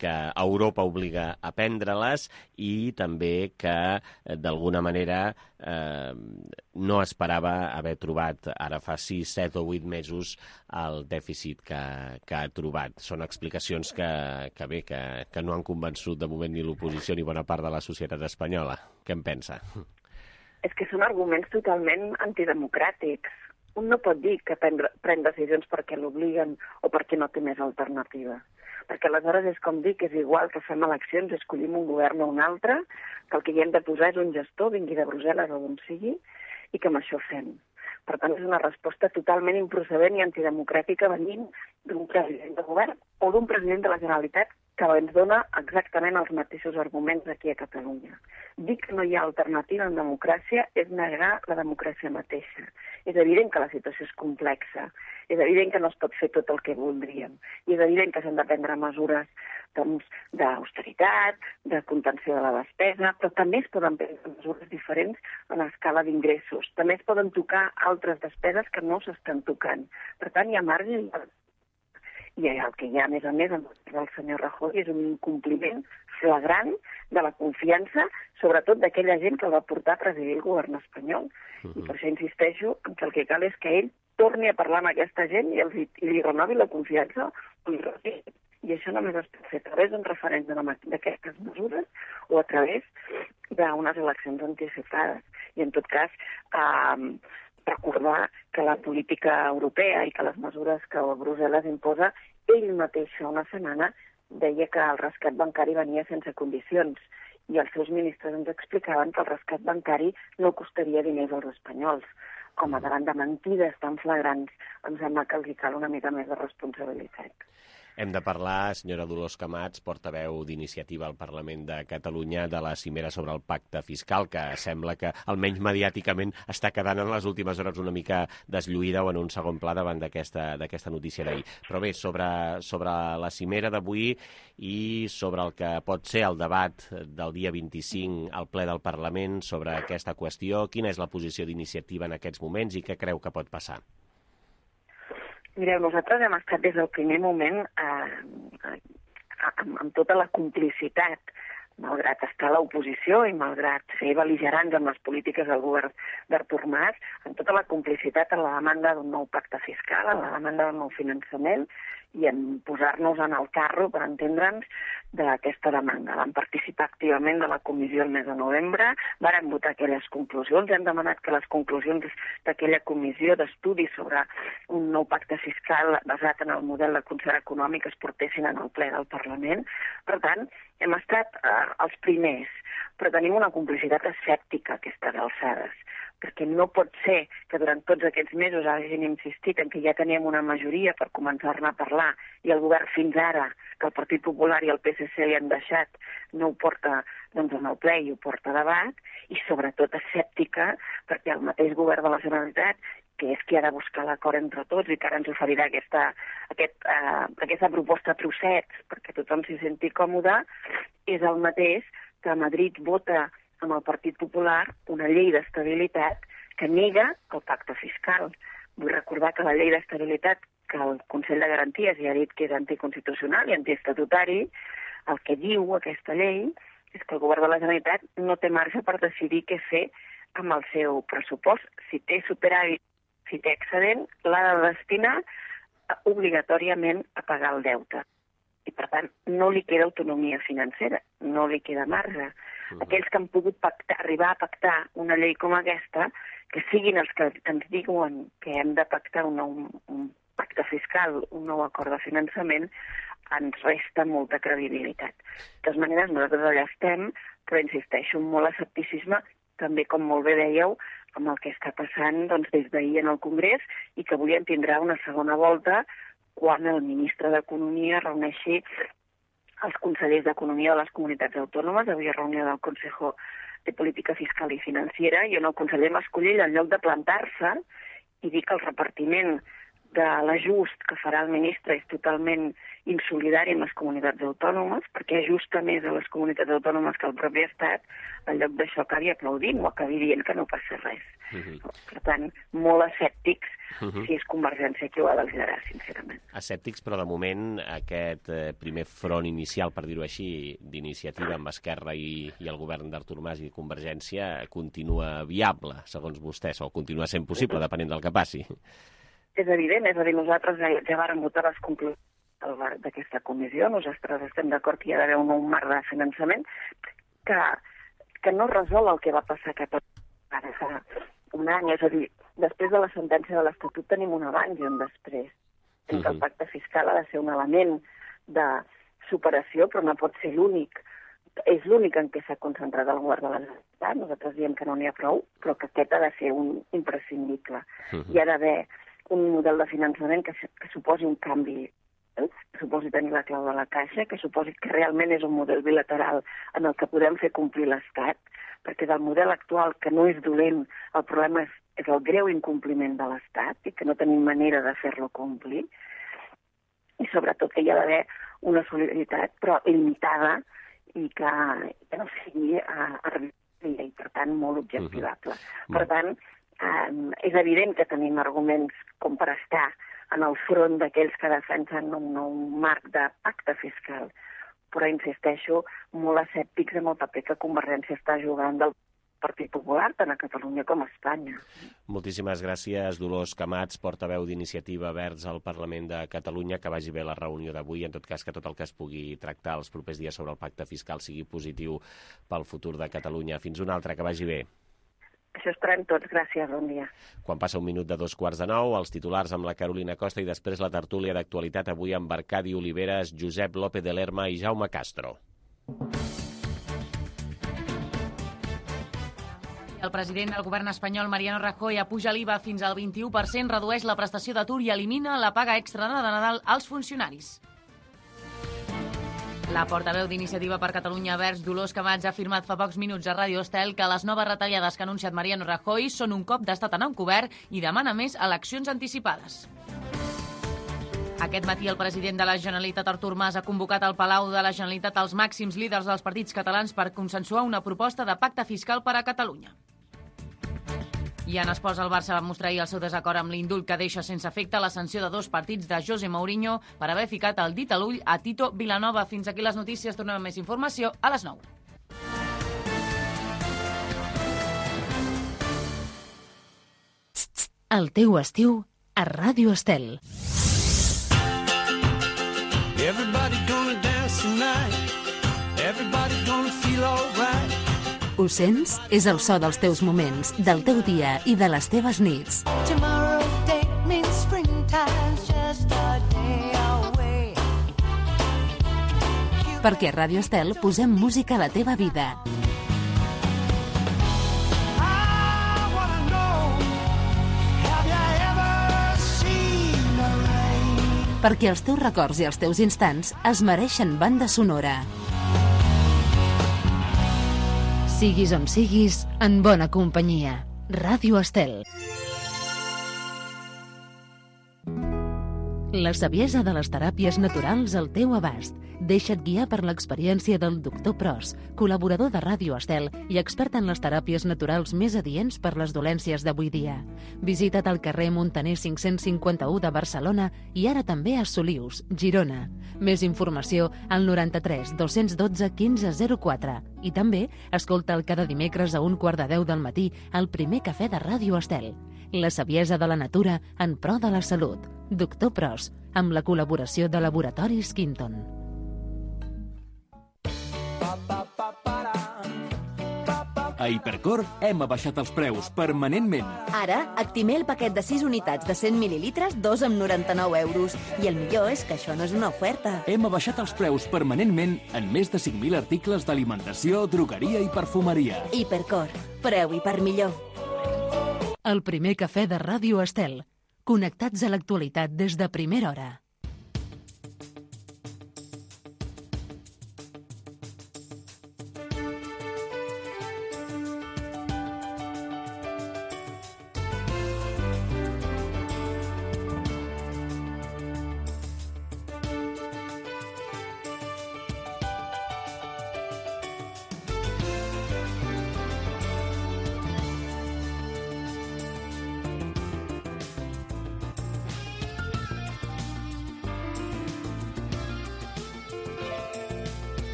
que Europa obliga a prendre-les i també que, d'alguna manera, no esperava haver trobat ara fa 6, 7 o 8 mesos el dèficit que ha trobat. Són explicacions que no han convençut de moment ni l'oposició ni bona part de la societat espanyola. Què en pensa? És que són arguments totalment antidemocràtics. Un no pot dir que pren decisions perquè l'obliguen o perquè no té més alternativa. Perquè aleshores és com dir que és igual que fem eleccions, escollim un govern o un altre, que el que hi hem de posar és un gestor, vingui de Brussel·les o d'on sigui, i que amb això fem. Per tant, és una resposta totalment improcedent i antidemocràtica venint d'un president de govern o d'un president de la Generalitat que ens dona exactament els mateixos arguments aquí a Catalunya. Dir que no hi ha alternativa en democràcia és negar la democràcia mateixa. És evident que la situació és complexa, és evident que no es pot fer tot el que voldríem, i és evident que s'han de prendre mesures d'austeritat, de contenció de la despesa, però també es poden prendre mesures diferents en l'escala d'ingressos. També es poden tocar altres despeses que no s'estan tocant. Per tant, hi ha marge i el que hi ha, a més, del senyor Rajoy és un incompliment flagrant de la confiança, sobretot d'aquella gent que el va portar a presidir el govern espanyol. I per això insisteixo que el que cal és que ell torni a parlar amb aquesta gent i li renovi la confiança o li retiri. I això només es pot fer a través d'un referèndum d'aquestes mesures o a través d'unes eleccions anticipades. I en tot cas, recordar que la política europea i que les mesures que Brussel·les imposa, ell mateix fa una setmana deia que el rescat bancari venia sense condicions i els seus ministres ens explicaven que el rescat bancari no costaria diners als espanyols. Com a davant de mentides tan flagrants, em sembla que els cal una mica més de responsabilitat. Hem de parlar, senyora Dolors Camats, portaveu d'Iniciativa al Parlament de Catalunya, de la cimera sobre el pacte fiscal, que sembla que, almenys mediàticament, està quedant en les últimes hores una mica deslluïda o en un segon pla davant d'aquesta notícia d'ahir. Però bé, sobre la cimera d'avui i sobre el que pot ser el debat del dia 25 al ple del Parlament sobre aquesta qüestió, quina és la posició d'Iniciativa en aquests moments i què creu que pot passar? Mireu, nosaltres hem estat des del primer moment amb tota la complicitat, malgrat estar a l'oposició i malgrat ser bel·ligerants amb les polítiques del govern d'Artur Mas, amb tota la complicitat en la demanda d'un nou pacte fiscal, en la demanda d'un nou finançament i en posar-nos en el carro, per entendre'ns, d'aquesta demanda. Vam participar activament de la comissió el mes de novembre, vàrem votar aquelles conclusions, hem demanat que les conclusions d'aquella comissió d'estudi sobre un nou pacte fiscal basat en el model de concert econòmic es portessin en el ple del Parlament. Per tant, hem estat els primers, però tenim una complicitat escèptica a aquestes alçades, perquè no pot ser que durant tots aquests mesos hagin insistit en que ja teníem una majoria per començar-ne a parlar i el govern fins ara, que el Partit Popular i el PSC li han deixat, no ho porta en el ple i ho porta a debat, i sobretot escèptica perquè el mateix govern de la Generalitat, que és qui ha de buscar l'acord entre tots i que ara ens oferirà aquesta proposta a trossets perquè tothom s'hi senti còmode, és el mateix que a Madrid vota amb el Partit Popular una llei d'estabilitat que nega el pacte fiscal. Vull recordar que la llei d'estabilitat, que el Consell de Garanties ja ha dit que és anticonstitucional i antiestatutari, el que diu aquesta llei és que el govern de la Generalitat no té marge per decidir què fer amb el seu pressupost. Si té superàvit, si té excedent, l'ha de destinar obligatòriament a pagar el deute. I, per tant, no li queda autonomia financera, no li queda marge. Aquells que han pogut arribar a pactar una llei com aquesta, que siguin els que ens diuen que hem de pactar un pacte fiscal, un nou acord de finançament, ens resta molta credibilitat. De totes maneres, nosaltres allà estem, però insisteixo, amb molt escepticisme, també, com molt bé dèieu, amb el que està passant des d'ahir en el Congrés i que avui en tindrà una segona volta quan el ministre d'Economia reuneixi els consellers d'Economia de les comunitats autònomes. Avui hi ha reunió del Consejo de Política Fiscal i Financiera i on el conseller Mas-Colell, en lloc de plantar-se i dir que el repartiment de l'ajust que farà el ministre és totalment insolidari amb les comunitats autònomes, perquè ajusta més a les comunitats autònomes que al propi Estat, en lloc d'això acabi aplaudint o acabi dient que no passa res. Per tant, molt escèptics si és Convergència qui ho ha de liderar, sincerament. Escèptics, però de moment aquest primer front inicial, per dir-ho així, d'iniciativa amb Esquerra i el govern d'Artur Mas i Convergència continua viable, segons vostès, o continua sent possible, depenent del que passi. És evident, és a dir, nosaltres ja vàrem votar les conclusions d'aquesta comissió, nosaltres estem d'acord que hi ha d'haver un nou marc de finançament que no resol el que va passar a Catalunya ara fa un any, és a dir, després de la sentència de l'Estatut tenim un abans i un després. El pacte fiscal ha de ser un element de superació, però no pot ser l'únic. És l'únic en què s'ha concentrat el govern de la Generalitat. Nosaltres diem que no n'hi ha prou, però que aquest ha de ser un imprescindible. Hi ha d'haver un model de finançament que suposi un canvi, que suposi tenir la clau de la caixa, que suposi que realment és un model bilateral en el que podem fer complir l'Estat, perquè del model actual, que no és dolent, el problema és el greu incompliment de l'Estat i que no tenim manera de fer-lo complir. I sobretot que hi ha d'haver una solidaritat, però limitada i que no sigui arbitrària i, per tant, molt objectivable. Per tant, és evident que tenim arguments com per estar en el front d'aquells que defensen un nou marc de pacte fiscal, però insisteixo, molt escèptics amb el paper que Convergència està jugant del Partit Popular, tant a Catalunya com a Espanya. Moltíssimes gràcies, Dolors Camats, portaveu d'Iniciativa Verds al Parlament de Catalunya. Que vagi bé la reunió d'avui. En tot cas, que tot el que es pugui tractar els propers dies sobre el pacte fiscal sigui positiu pel futur de Catalunya. Fins una altra, que vagi bé. Això esperem tots. Gràcies, bon dia. Quan passa 1 minut de 2:45, els titulars amb la Carolina Costa i després la tertúlia d'actualitat avui amb Arcadi Oliveres, Josep López de Lerma i Jaume Castro. El president del govern espanyol, Mariano Rajoy, apuja l'IVA fins al 21%, redueix la prestació d'atur i elimina la paga extra de Nadal als funcionaris. La portaveu d'Iniciativa per Catalunya Verds, Dolors Camats, ha afirmat fa pocs minuts a Ràdio Estel que les noves retallades que ha anunciat Mariano Rajoy són un cop d'estat en encobert i demana més eleccions anticipades. Aquest matí el president de la Generalitat, Artur Mas, ha convocat al Palau de la Generalitat els màxims líders dels partits catalans per consensuar una proposta de pacte fiscal per a Catalunya. I en esports, el Barça va mostrar ahir el seu desacord amb l'indult que deixa sense efecte la sanció de 2 partits de José Mourinho per haver ficat el dit a l'ull a Tito Vilanova. Fins aquí les notícies. Tornem amb més informació a les 9. El teu estiu a Ràdio Estel. Everybody gonna dance tonight. Everybody gonna feel all right. Ho sents? És el so dels teus moments, del teu dia i de les teves nits. Perquè a Ràdio Estel posem música a la teva vida. Perquè els teus records i els teus instants es mereixen banda sonora. Siguis on siguis, en bona companyia. Ràdio Estel. La saviesa de les teràpies naturals al teu abast. Deixa't guiar per l'experiència del Dr. Pros, col·laborador de Ràdio Estel i expert en les teràpies naturals més adients per les dolències d'avui dia. Visita't al carrer Montaner 551 de Barcelona i ara també a Solius, Girona. Més informació al 93 212 1504 i també escolta'l cada dimecres a 9:15 del matí al primer cafè de Ràdio Estel. La saviesa de la natura en pro de la salut. Dr. Pros, amb la col·laboració de Laboratoris Quinton. A Hipercor hem abaixat els preus permanentment. Ara, Actimel el paquet de 6 unitats de 100 mil·lilitres, 2 amb 99 euros. I el millor és que això no és una oferta. Hem abaixat els preus permanentment en més de 5.000 articles d'alimentació, drogueria i perfumeria. Hipercor, preu i per millor. El primer cafè de Ràdio Estel. Connectats a l'actualitat des de primera hora.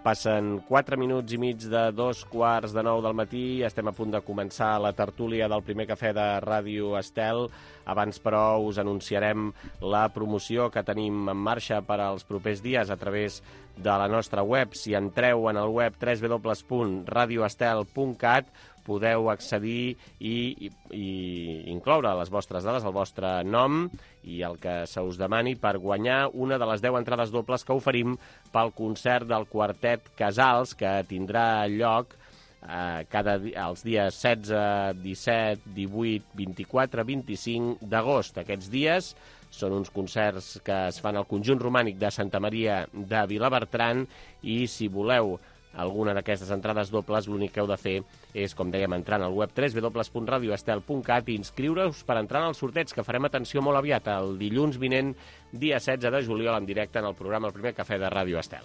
Passen 4 minuts i mig de 2:45 del matí. Estem a punt de començar la tertúlia del primer cafè de Ràdio Estel. Abans, però, us anunciarem la promoció que tenim en marxa per als propers dies a través de la nostra web. Si entreu en el web www.radioestel.cat podeu accedir i incloure les vostres dades, el vostre nom i el que se us demani per guanyar una de les 10 entrades dobles que oferim pel concert del Quartet Casals, que tindrà lloc els dies 16, 17, 18, 24, 25 d'agost. Aquests dies són uns concerts que es fan al Conjunt Romànic de Santa Maria de Vilabertran i si voleu alguna d'aquestes entrades dobles, l'únic que heu de fer és, com dèiem, entrar al web www.radioestel.cat i inscriure-us per entrar en el sorteig, que farem atenció molt aviat, el dilluns vinent, dia 16 de juliol, en directe en el programa El Primer Cafè de Ràdio Estel.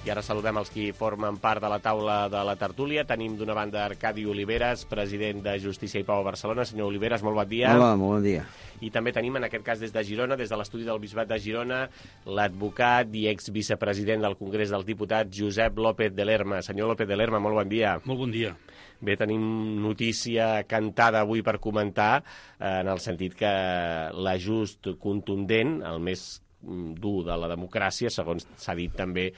I ara saludem els qui formen part de la taula de la tertúlia. Tenim d'una banda Arcadi Oliveres, president de Justícia i Pau a Barcelona. Senyor Oliveres, molt bon dia. Hola, molt bon dia. I també tenim, en aquest cas, des de Girona, des de l'estudi del Bisbat de Girona, l'advocat i exvicepresident del Congrés dels Diputats, Josep López de Lerma. Senyor López de Lerma, molt bon dia. Molt bon dia. Bé, tenim notícia cantada avui per comentar, en el sentit que l'ajust contundent, el més dur de la democràcia, segons s'ha dit també,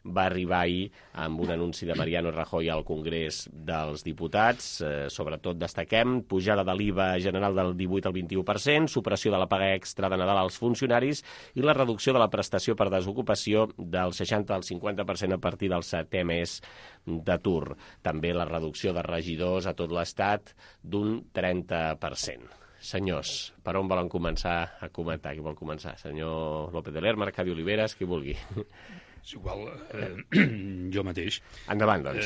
va arribar ahir amb un anunci de Mariano Rajoy al Congrés dels Diputats. Sobretot destaquem pujada de l'IVA general del 18 al 21%, supressió de la paga extra de Nadal als funcionaris i la reducció de la prestació per desocupació del 60 al 50% a partir del 7è mes d'atur. També la reducció de regidors a tot l'Estat d'un 30%. Senyors, per on volen començar a comentar? Qui vol començar? Senyor López de Lerma, Arcadi Oliveres, qui vulgui. És igual, jo mateix. Endavant, doncs.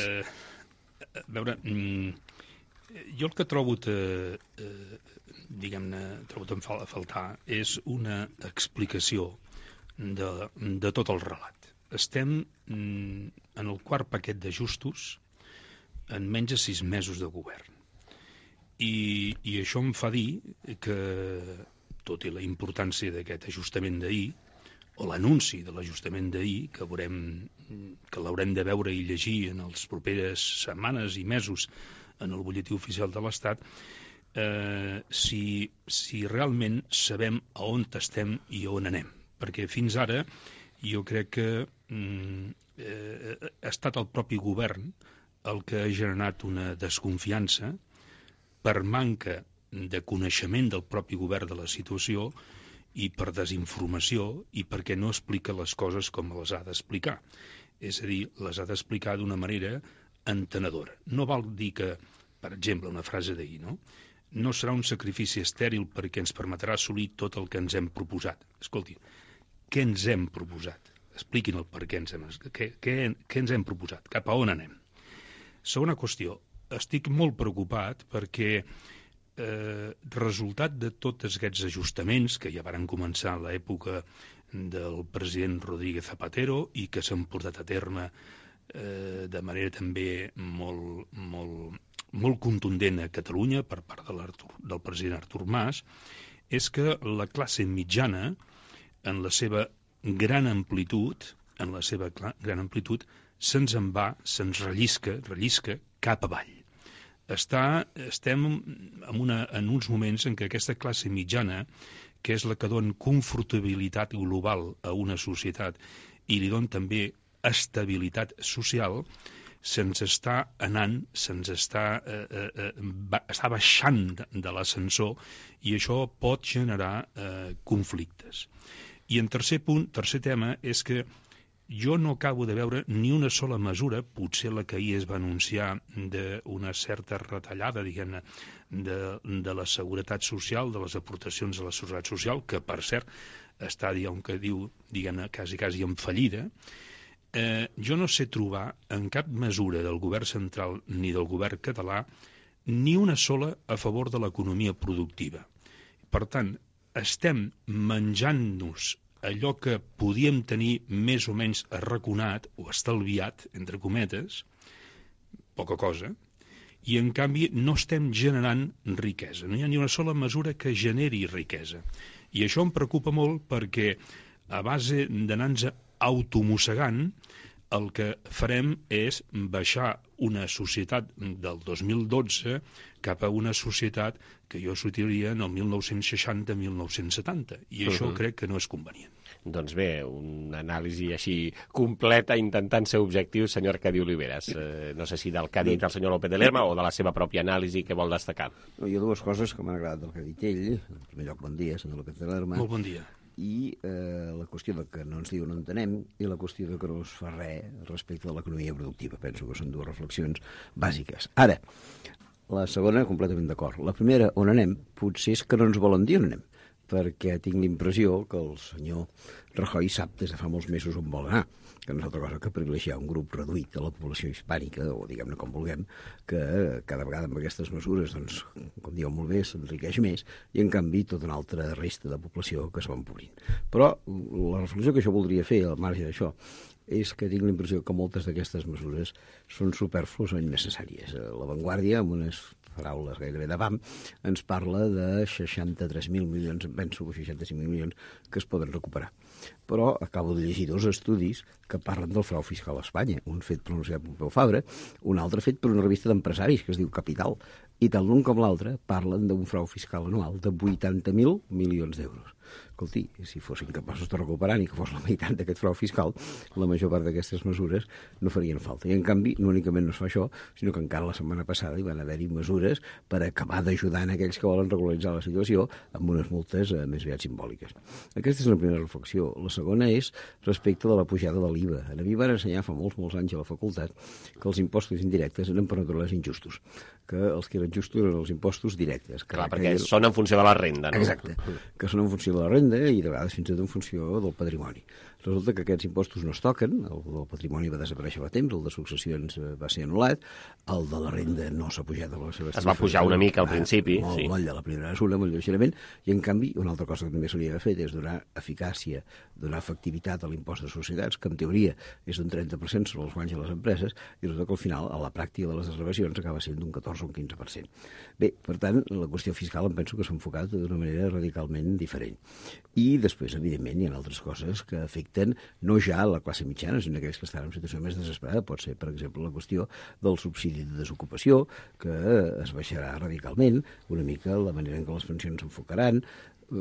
A veure, jo el que trobo a faltar és una explicació de tot el relat. Estem en el quart paquet d'ajustos en menys de 6 mesos de govern. I això em fa dir que, tot i la importància d'aquest ajustament d'ahir, o l'anunci de l'ajustament d'ahir, que l'haurem de veure i llegir en les properes setmanes i mesos en el butlletí oficial de l'Estat, si realment sabem a on estem i on anem. Perquè fins ara jo crec que ha estat el propi govern el que ha generat una desconfiança per manca de coneixement del propi govern de la situació i per desinformació i perquè no explica les coses com les ha d'explicar. És a dir, les ha d'explicar d'una manera entenedora. No vol dir que, per exemple, una frase d'ahir, no serà un sacrifici estèril perquè ens permetrà assolir tot el que ens hem proposat. Escolti, què ens hem proposat? Expliquin el per què ens hem proposat, cap a on anem. Segona qüestió, estic molt preocupat perquè resultat de tots aquests ajustaments que ja varen començar a l'època del president Rodríguez Zapatero i que s'han portat a terme de manera també molt contundent a Catalunya per part del president Artur Mas, és que la classe mitjana, en la seva gran amplitud, se'ns en va, se'ns rellisca cap avall. Estem en uns moments en què aquesta classe mitjana, que és la que dona confortabilitat global a una societat i li dona també estabilitat social, se'ns està anant, està baixant de l'ascensor i això pot generar conflictes. I en tercer tema, és que jo no acabo de veure ni una sola mesura, potser la que ahir es va anunciar d'una certa retallada, diguem-ne, de la seguretat social, de les aportacions a la seguretat social, que per cert està, diguem-ne, quasi en fallida. Jo no sé trobar en cap mesura del govern central ni del govern català ni una sola a favor de l'economia productiva. Per tant, estem menjant-nos allò que podíem tenir més o menys arraconat o estalviat, entre cometes, poca cosa, i en canvi no estem generant riquesa. No hi ha ni una sola mesura que generi riquesa. I això em preocupa molt perquè a base d'anar-nos automossegant, el que farem és baixar una societat del 2012 cap a una societat que jo sortiria en el 1960-1970, i això crec que no és convenient. Doncs bé, una anàlisi així completa, intentant ser objectiu, senyor Arcadi Oliveres. No sé si del que ha dit el senyor López de Lerma o de la seva pròpia anàlisi que vol destacar. Hi ha dues coses que m'han agradat del que ha dit ell. En primer lloc, bon dia, senyor López de Lerma. Molt bon dia. I la qüestió de que no ens diu no entenem i la qüestió de que no es fa res respecte de l'economia productiva. Penso que són dues reflexions bàsiques. Ara, la segona, completament d'acord. La primera, on anem, potser és que no ens volen dir on anem, perquè tinc l'impressió que el senyor Rajoy sap des de fa molts mesos on vol anar, que no és altra cosa que privilegiar un grup reduït de la població hispànica, o diguem-ne com vulguem, que cada vegada amb aquestes mesures, doncs, com dieu molt bé, s'enriqueix més, i en canvi tota una altra resta de població que es va empobrint. Però la reflexió que jo voldria fer al marge d'això és que tinc la impressió que moltes d'aquestes mesures són supèrflues o innecessàries. La Vanguardia, amb unes paraules gairebé de BAM, ens parla de 63.000 milions, penso que 65.000 milions, que es poden recuperar. Però acabo de llegir dos estudis que parlen del frau fiscal a Espanya, un fet per l'Universitat Pompeu Fabra, un altre fet per una revista d'empresaris que es diu Capital, i tant l'un com l'altre parlen d'un frau fiscal anual de 80.000 milions d'euros. Escolti, si fossin capaços de recuperar ni que fos la meitat d'aquest frau fiscal, la major part d'aquestes mesures no farien falta. I en canvi, no únicament no es fa això, sinó que encara la setmana passada hi van haver-hi mesures per acabar d'ajudar en aquells que volen regularitzar la situació amb unes multes més aviat simbòliques. Aquesta és la primera reflexió. La segona és respecte de la pujada de l'IVA. A mi van ensenyar fa molts anys a la facultat que els impostos indirectes eren per naturalesa injustos, que els que eren justos eren els impostos directes. Clar, perquè són en funció de la renda, no? Exacte, que són en funció de la renda i de vegades fins i tot en funció del patrimoni. Resulta que aquests impostos no es toquen, el del patrimoni va desaparèixer fa temps, el de successions va ser anul·lat, el de la renda no s'ha pujat a les seves... Es va pujar una mica al principi, sí. Molt de la primera mesura, molt lleugerament, i en canvi una altra cosa que també s'hauria de fer és donar eficàcia, donar efectivitat a l'impost de societats, que en teoria és d'un 30% sobre els guanys de les empreses, i resulta que al final, a la pràctica de les desgravacions, acaba sent d'un 14 o un 15%. Bé, per tant, la qüestió fiscal em penso que s'ha enfocat d'una manera radicalment diferent. I després, evidentment, hi ha altres coses que afecten no ja a la classe mitjana, sinó aquells que estan en situació més desesperada. Pot ser, per exemple, la qüestió del subsidi de desocupació, que es baixarà radicalment, una mica la manera en què les pensions s'enfocaran,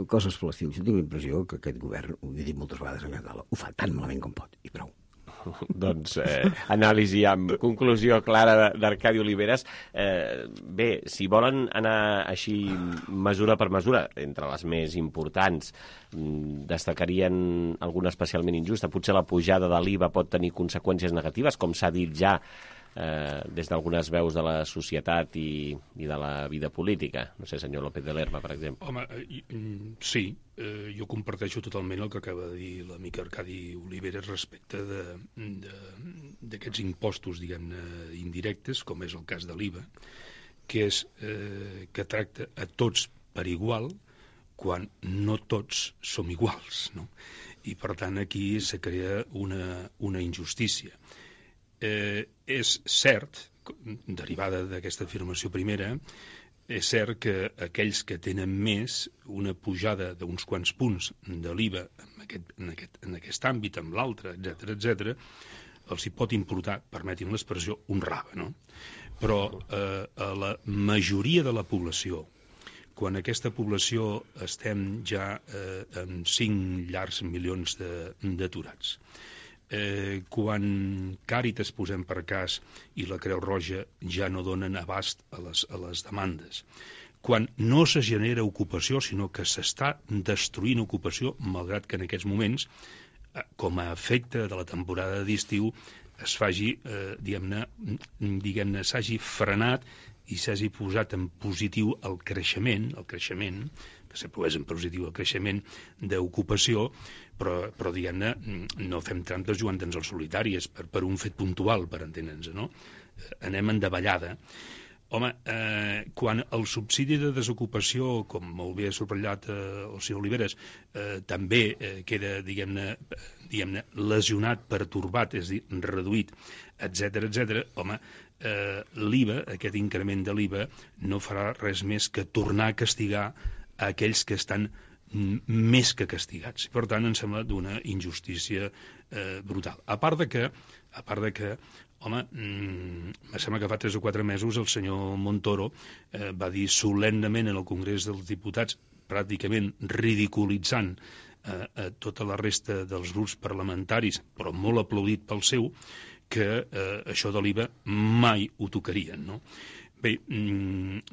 coses per l'estil. Jo tinc la impressió que aquest govern, ho he dit moltes vegades en Català, ho fa tan malament com pot, i prou. Doncs anàlisi amb conclusió clara d'Arcadi Oliveres. Bé, si volen anar així mesura per mesura, entre les més importants, destacarien alguna especialment injusta. Potser la pujada de l'IVA pot tenir conseqüències negatives, com s'ha dit ja des d'algunes veus de la societat i de la vida política. No sé, senyor López de Lerma, per exemple. Home, sí, jo comparteixo totalment el que acaba de dir l'amic Arcadi Oliveres respecte d'aquests impostos, diguem-ne, indirectes, com és el cas de l'IVA, que tracta a tots per igual quan no tots som iguals, no? I per tant aquí se crea una injustícia. És cert, derivada d'aquesta afirmació primera, és cert que aquells que tenen més, una pujada d'uns quants punts de l'IVA en aquest àmbit, en l'altre, etc., els hi pot importar, permetin l'expressió, un rave, no? Però a la majoria de la població, quan aquesta població estem ja amb 5 llargs milions d'aturats, quan Càritas, posem per cas, i la Creu Roja ja no donen abast a les demandes, quan no se genera ocupació, sinó que s'està destruint ocupació, malgrat que en aquests moments, com a efecte de la temporada d'estiu, es faci, diguem-ne, s'hagi frenat i s'hagi posat en positiu el creixement, que sempre és en positiu el creixement d'ocupació, però diguem-ne, no fem trampes jugant-nos al solitari, és per un fet puntual, per entendre'ns, no? Anem en davallada. Home, quan el subsidi de desocupació, com molt bé ha subratllat el senyor Oliveres, també queda, diguem-ne, lesionat, pertorbat, és a dir, reduït, etc., home, l'IVA, aquest increment de l'IVA, no farà res més que tornar a castigar aquells que estan més que castigats. Per tant, em sembla d'una injustícia brutal. A part de que, home, em sembla que fa 3 o 4 mesos el senyor Montoro va dir solemnement en el Congrés dels Diputats, pràcticament ridiculitzant tota la resta dels grups parlamentaris, però molt aplaudit pel seu, que això de l'IVA mai ho tocarien, no? Bé,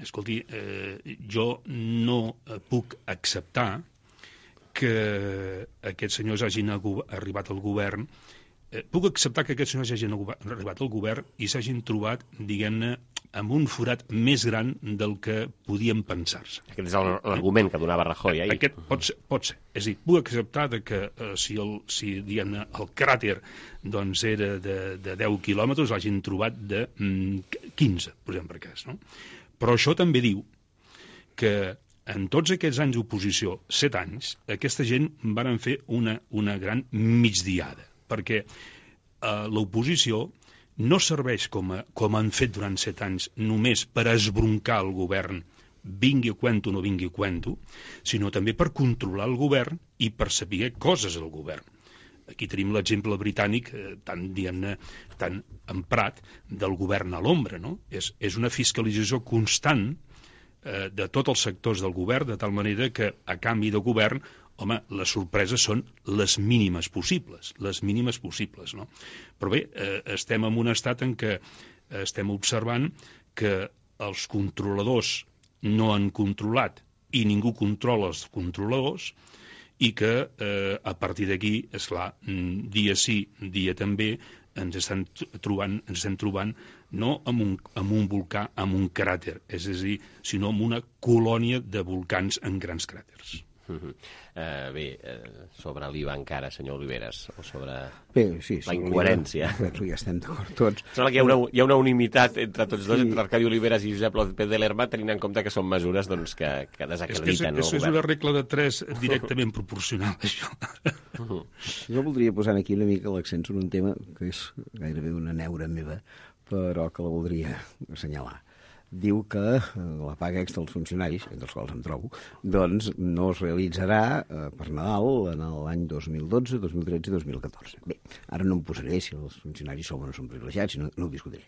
escolti, jo no puc acceptar que aquests senyors hagin arribat al govern. Puc acceptar que aquests senyors hagin arribat al govern i s'hagin trobat, diguem-ne, amb un forat més gran del que podien pensar-se. Aquest és l'argument que donava Rajoy ahir. Aquest pot ser. És a dir, puc acceptar que si diguem-ne, el cràter doncs, era de 10 quilòmetres, l'hagin trobat de 15, posem per cas. No? Però això també diu que en tots aquests anys d'oposició, 7 anys, aquesta gent van fer una gran migdiada, perquè l'oposició no serveix com han fet durant 7 anys només per esbroncar el govern, vingui a cuento o no vingui a cuento, sinó també per controlar el govern i per saber coses del govern. Aquí tenim l'exemple britànic tan emprat del govern a l'ombra, no? És una fiscalització constant de tots els sectors del govern, de tal manera que a canvi de govern, home, les sorpreses són les mínimes possibles, no? Però bé, estem en un estat en què estem observant que els controladors no han controlat i ningú controla els controladors i que a partir d'aquí, esclar, dia sí, dia també, ens estem trobant no amb un volcà, amb un cràter, és a dir, sinó amb una colònia de volcans en grans cràters. Bé, sobre l'IVA encara, senyor Oliveres, o sobre sí, la incoherència. Ja estem d'acord tots. Sembla que hi ha una unimitat entre tots dos, entre Arcadi Oliveres i Josep López de Lerma, tenint en compte que són mesures doncs, que desacrediten el govern. És una regla de 3 directament proporcional, això. Jo voldria posar aquí una mica l'accent sobre un tema que és gairebé una neura meva, però que la voldria assenyalar. Diu que la paga extra dels funcionaris, entre els quals em trobo, doncs no es realitzarà per Nadal en l'any 2012, 2013 i 2014. Bé, ara no em posaré si els funcionaris som o no són privilegiats, no ho discutiré.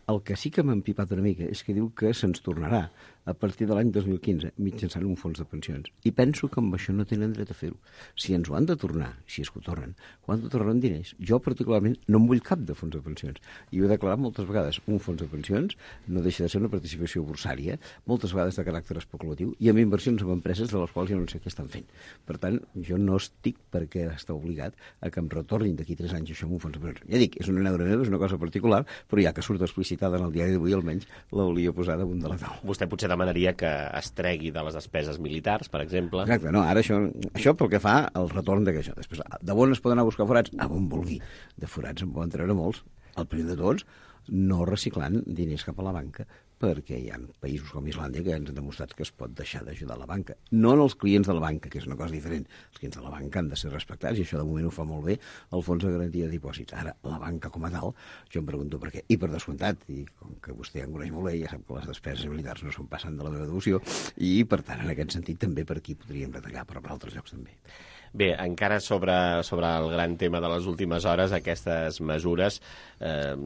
El que sí que m'ha empipat una mica és que diu que se'ns tornarà a partir de l'any 2015 mitjançant un fons de pensions. I penso que amb això no tenen dret a fer-ho. Si ens ho han de tornar, si és que ho tornen, ho han de tornar en diners. Jo particularment no em vull cap de fons de pensions. I ho he declarat moltes vegades. Un fons de pensions no deixa de ser una participació bursària, moltes vegades de caràcter especulatiu, i amb inversions en empreses de les quals jo no sé què estan fent. Per tant, jo no estic perquè està obligat a que em retornin d'aquí 3 anys això amb un fons de pensions. Ja dic, és una neura meva, és una cosa particular, però ja que surt explicitada en el diari d'avui, almenys l'hauria posat damunt de la taula. Vostè potser demanaria que es tregui de les despeses militars, per exemple. Exacte, no, ara això pel que fa al retorn d'això. Després, de on es poden anar a buscar forats? A on vulgui. De forats en poden treure molts. El primer de tots, no reciclant diners cap a la banca, perquè hi ha països com Islàndia que ens han demostrat que es pot deixar d'ajudar la banca. No en els clients de la banca, que és una cosa diferent. Els clients de la banca han de ser respectats, i això de moment ho fa molt bé el Fons de Garantia de Dipòsits. Ara, la banca com a tal, jo em pregunto per què. I per descomptat, i com que vostè em coneix molt bé, ja sap que les despeses militars no són passant de la meva devoció, i per tant, en aquest sentit, també per aquí podríem retallar, però per altres llocs també. Bé, encara sobre el gran tema de les últimes hores, aquestes mesures,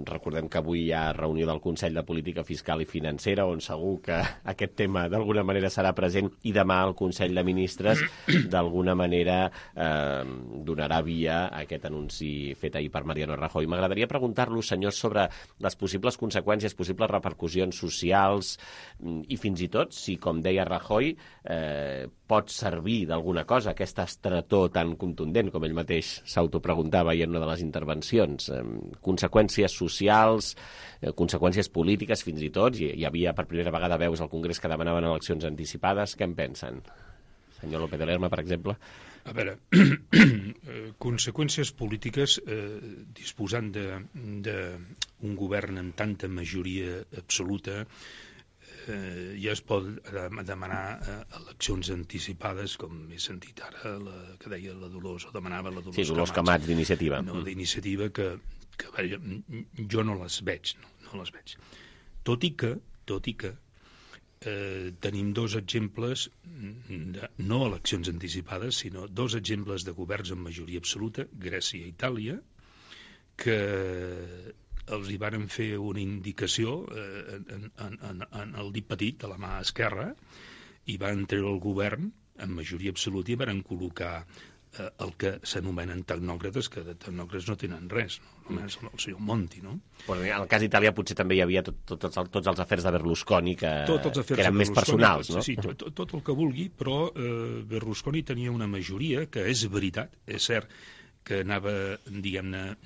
recordem que avui hi ha reunió del Consell de Política Fiscal i Financera, on segur que aquest tema d'alguna manera serà present, i demà el Consell de Ministres d'alguna manera donarà via a aquest anunci fet ahir per Mariano Rajoy. M'agradaria preguntar-lo, senyor, sobre les possibles conseqüències, possibles repercussions socials i fins i tot si, com deia Rajoy, pot servir d'alguna cosa aquesta estretor tan contundent, com ell mateix s'autopreguntava ahir en una de les intervencions. Conseqüències socials, conseqüències polítiques, fins i tot. Hi havia per primera vegada veus al Congrés que demanaven eleccions anticipades. Què en pensen? Senyor López de Lerma, per exemple. A veure, conseqüències polítiques, disposant d'un govern amb tanta majoria absoluta, ja es pot demanar eleccions anticipades, com he sentit ara que deia la Dolors, o demanava la Dolors Camats. Sí, Dolors Camats, d'Iniciativa. No, d'Iniciativa, que jo no les veig, no les veig. Tot i que tenim dos exemples, no eleccions anticipades, sinó dos exemples de governs amb majoria absoluta, Grècia i Itàlia, que els hi varen fer una indicació en el dit petit de la mà esquerra i van treure el govern amb majoria absoluta i varen col·locar el que s'anomenen tecnòcrates, que de tecnòcrates no tenen res, no? Només el senyor Monti, no? Pues en el cas d'Itàlia potser també hi havia tots els afers de Berlusconi que eren més personals, no? Sí, tot el que vulgui, però Berlusconi tenia una majoria que és veritat, és cert, que anava, diguem-ne,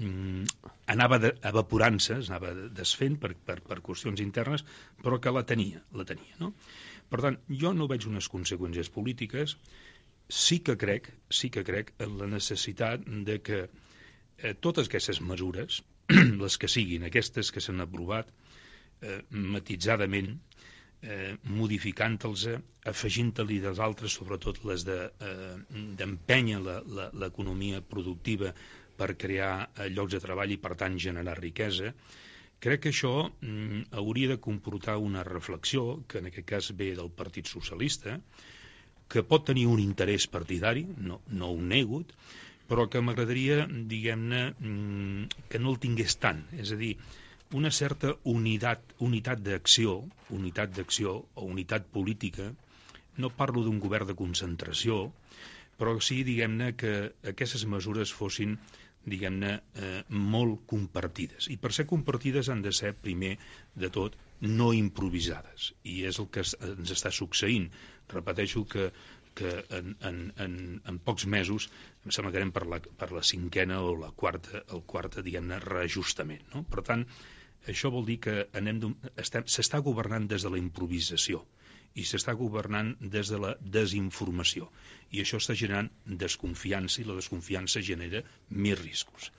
anava evaporant-se, anava desfent per qüestions internes, però que la tenia, no? Per tant, jo no veig unes conseqüències polítiques. Sí que crec en la necessitat de que totes aquestes mesures, les que siguin, aquestes que s'han aprovat matitzadament, modificant-los, afegint-li dels altres, sobretot les d'empènyer l'economia productiva per crear llocs de treball i, per tant, generar riquesa. Crec que això hauria de comportar una reflexió, que en aquest cas ve del Partit Socialista, que pot tenir un interès partidari, no ho nego, però que m'agradaria, diguem-ne, que no el tingués tant. És a dir, una certa unitat d'acció o unitat política. No parlo d'un govern de concentració, però sí, diguem-ne, que aquestes mesures fossin, diguem-ne, molt compartides. I per ser compartides han de ser, primer de tot, no improvisades. I és el que ens està succeint. Repeteixo que en pocs mesos em sembla que anem per la cinquena o el quart, diguem-ne, reajustament, no? Per tant, això vol dir que s'està governant des de la improvisació i s'està governant des de la desinformació. I això està generant desconfiança i la desconfiança genera més riscos.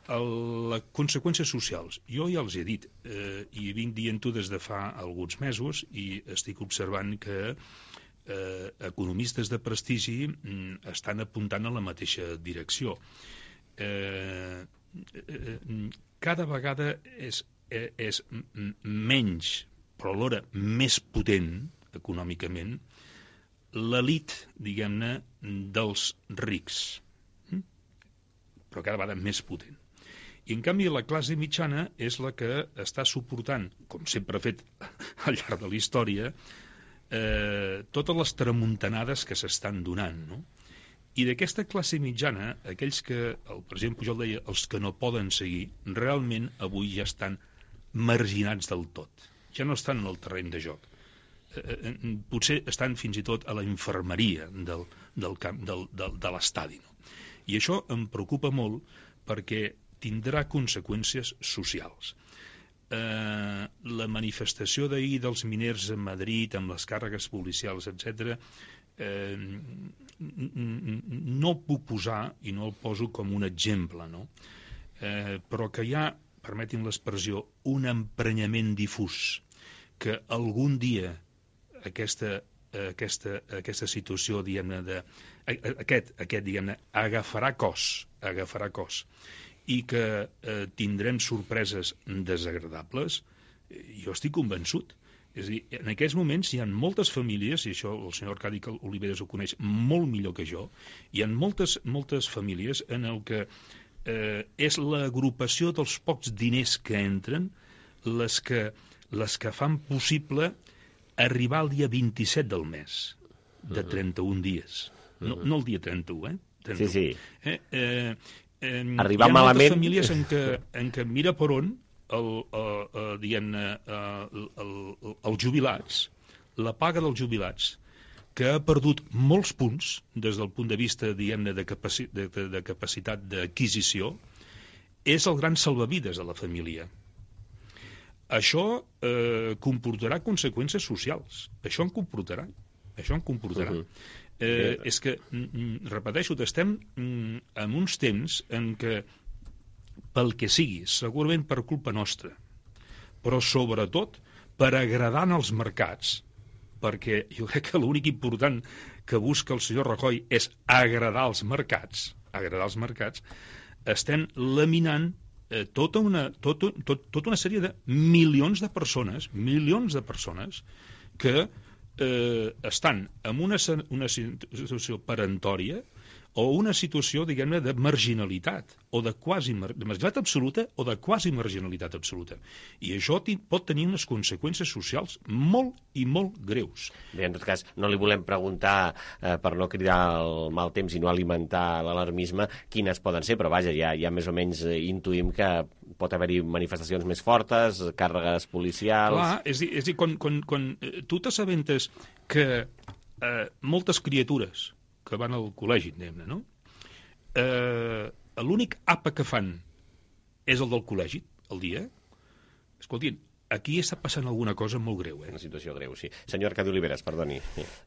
Les conseqüències socials, jo ja els he dit, i vinc dient-ho des de fa alguns mesos i estic observant que economistes de prestigi estan apuntant a la mateixa direcció. Cada vegada és menys, però alhora més potent econòmicament, l'elit, diguem-ne, dels rics, però cada vegada més potent. I, en canvi, la classe mitjana és la que està suportant, com sempre ha fet al llarg de la història, totes les tramuntanades que s'estan donant, no? I d'aquesta classe mitjana, aquells que, el president Pujol deia, els que no poden seguir, realment avui ja estan marginats del tot. Ja no estan en el terreny de joc. Potser estan fins i tot a la infermeria de l'estadi, no? I això em preocupa molt perquè tindrà conseqüències socials. La manifestació d'ahir dels miners a Madrid amb les càrregues policials, etc., no el puc posar i no el poso com un exemple, no? Però que hi ha, permetin l'expressió, un emprenyament difús que algun dia aquesta situació, diguem-ne, diguem-ne, agafarà cos i que tindrem sorpreses desagradables, jo estic convençut. És a dir, en aquests moments hi ha moltes famílies, i això el senyor Arcadi Oliveres ho coneix molt millor que jo, hi ha moltes famílies en el que és l'agrupació dels pocs diners que entren les que fan possible arribar al dia 27 del mes, de 31 dies. No el dia 31, 31. Sí. Arribar malament... Hi ha moltes famílies en què mira per on els jubilats, la paga dels jubilats, que ha perdut molts punts des del punt de vista, diguem-ne, de capacitat d'adquisició, és el gran salvavides de la família. Això comportarà conseqüències socials. Això en comportarà. És que, repeteixo, estem en uns temps en què, pel que sigui, segurament per culpa nostra, però sobretot per agradar als mercats, perquè jo crec que l'únic important que busca el senyor Rajoy és agradar als mercats, estem laminant tota una sèrie de milions de persones que estan en una situació peremptòria o una situació, diguem-ne, de marginalitat, o de marginalitat absoluta o de quasi marginalitat absoluta. I això pot tenir unes conseqüències socials molt i molt greus. Bé, en tot cas, no li volem preguntar, per no cridar el mal temps i no alimentar l'alarmisme, quines poden ser, però vaja, ja més o menys intuïm que pot haver-hi manifestacions més fortes, càrregues policials... Clar, és a dir, quan tu t'assabentes que moltes criatures que van al col·legi, diguem-ne, no? L'únic àpat que fan és el del col·legi, al dia. Escoltin, aquí està passant alguna cosa molt greu, Una situació greu, sí. Senyor Arcadi Oliveres, perdoni.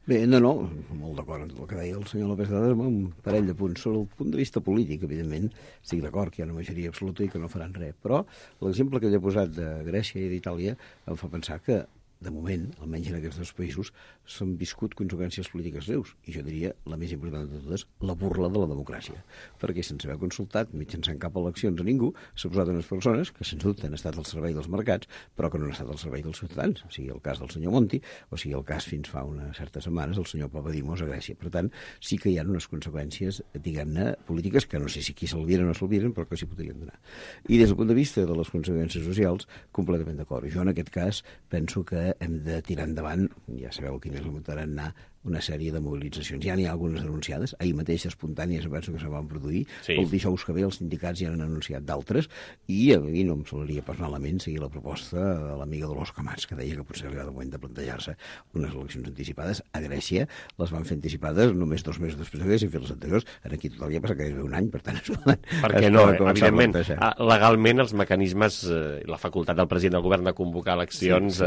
Bé, no, molt d'acord amb el que deia el senyor López Dades, amb un parell de punts. Sobre el punt de vista polític, evidentment, estic d'acord que hi ha una majoria absoluta i que no faran res, però l'exemple que ell ha posat de Grècia i d'Itàlia em fa pensar que de moment, almenys en aquests dos països, s'han viscut conseqüències polítiques greus. I jo diria, la més important de totes, la burla de la democràcia. Perquè sense haver consultat, mitjançant cap eleccions a ningú, s'ha posat unes persones que, sens dubte, han estat al servei dels mercats, però que no han estat al servei dels ciutadans. O sigui, el cas del senyor Monti, o sigui, el cas fins fa unes certes setmanes del senyor Papadimos a Grècia. Per tant, sí que hi ha unes conseqüències, diguem-ne, polítiques, que no sé si aquí s'alviren o s'alviren, però que s'hi podrien donar. I des del punt de vista de les conseqüències socials, completament d'acord. Jo, en aquest cas, penso que hem de tirar endavant, ja sabeu quin és el tarannà, una sèrie de mobilitzacions. Ja n'hi ha algunes denunciades, ahir mateix espontànies penso que se van produir, sí. El dijous que ve els sindicats ja han anunciat d'altres, i a mi no em semblaria pas malament seguir la proposta de l'amiga Dolors Camats, que deia que potser arriba el moment de plantejar-se unes eleccions anticipades. A Grècia les van fer anticipades només 2 mesos després que haguessin fet les anteriors. Aquí total ja passa gairebé un any, per tant perquè no, evidentment, legalment els mecanismes, la facultat del president del govern de convocar eleccions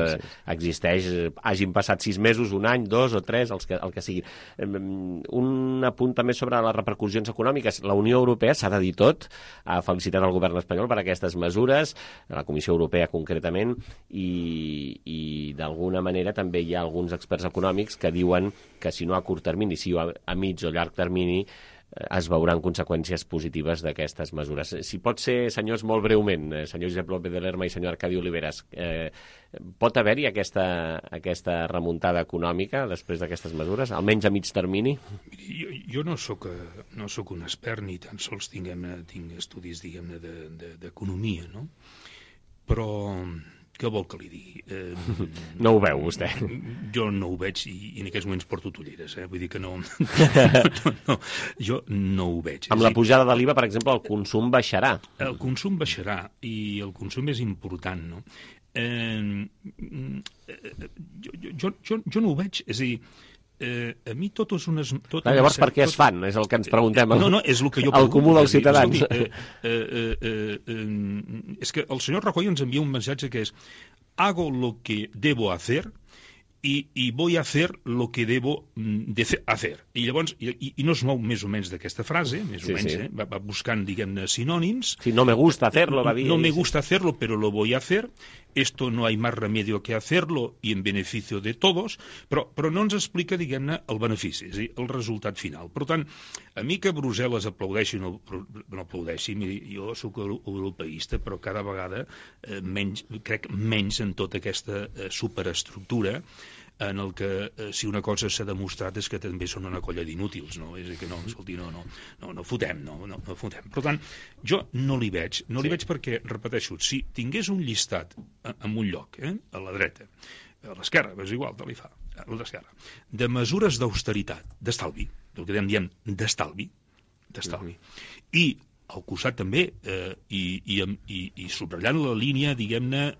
existeix, hagin passat 6 mesos, un any, 2 o 3, el que sigui. Un apunt també sobre les repercussions econòmiques. La Unió Europea s'ha de dir tot, ha felicitat el govern espanyol per aquestes mesures, la Comissió Europea concretament, i d'alguna manera també hi ha alguns experts econòmics que diuen que si no a curt termini, si a mig o llarg termini, es veuran conseqüències positives d'aquestes mesures. Si pot ser, senyors, molt breument, senyor Josep López de Lerma i senyor Arcadi Oliveres, pot haver-hi aquesta remuntada econòmica després d'aquestes mesures, almenys a mig termini? Jo no sóc un expert ni tan sols tinc estudis, diguem-ne, d'economia, no? Però què vol que li digui? No ho veu, vostè? Jo no ho veig i en aquests moments porto ulleres, vull dir que no, jo no ho veig. Amb la pujada de l'IVA, per exemple, el consum baixarà. El consum baixarà i el consum és important, no? Jo no ho veig, és a dir, a mi totes unes... Llavors, per què es fan? És el que ens preguntem. No, és el que jo pregunto. El comú dels ciutadans. És que el senyor Rajoy ens envia un missatge que és hago lo que debo hacer y voy a hacer lo que debo hacer. I llavors, i no es mou més o menys d'aquesta frase, més o menys, va buscant, diguem-ne, sinònims. Sí, no me gusta hacerlo, va dir. No me gusta hacerlo, pero lo voy a hacer. Esto no hay más remedio que hacerlo y en beneficio de todos, però no ens explica, diguem-ne, el benefici, és a dir, el resultat final. Per tant, a mi que Brussel·les aplaudeixi o no aplaudeixi, miri, jo soc europeista, però cada vegada crec menys en tota aquesta superestructura en el que si una cosa s'ha demostrat és que també són una colla d'inútils, no? És a dir, que no, escolti, no fotem, no fotem. Per tant, jo no li veig perquè, repeteixo, si tingués un llistat en un lloc, a la dreta, a l'esquerra, és igual, te li fa, a l'esquerra, de mesures d'austeritat, d'estalvi, el que diem d'estalvi, i al costat també, i subratllant la línia, diguem-ne,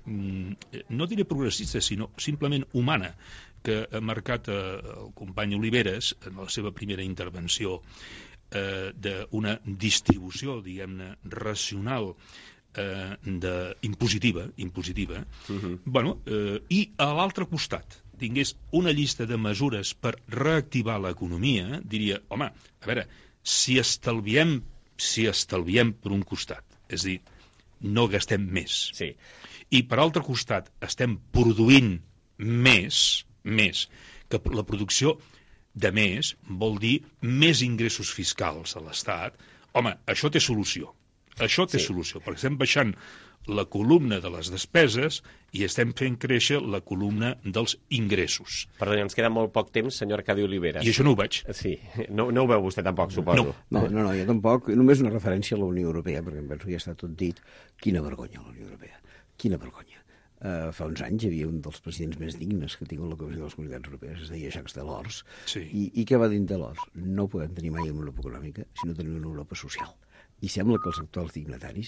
no diré progressista, sinó simplement humana, que ha marcat el company Oliveres en la seva primera intervenció, d'una distribució, diguem-ne, racional, impositiva, i a l'altre costat tingués una llista de mesures per reactivar l'economia, diria, home, a veure, si estalviem per un costat, és a dir, no gastem més, i per altre costat estem produint més, que la producció de més vol dir més ingressos fiscals a l'Estat, home, això té solució, perquè estem baixant la columna de les despeses i estem fent créixer la columna dels ingressos. Perdoni, ens queda molt poc temps, senyor Arcadi Oliveres. I això no ho veig. Sí, no ho veu vostè tampoc, suposo. No, jo tampoc. Només una referència a la Unió Europea, perquè em penso que ja està tot dit. Quina vergonya, la Unió Europea. Quina vergonya. Fa uns anys hi havia un dels presidents més dignes que ha tingut la Comissió de les Comunitats Europees, es deia Jacques Delors. Sí. I què va dir Delors? No podem tenir mai una Europa econòmica si no tenim una Europa social. I sembla que els actuals dignataris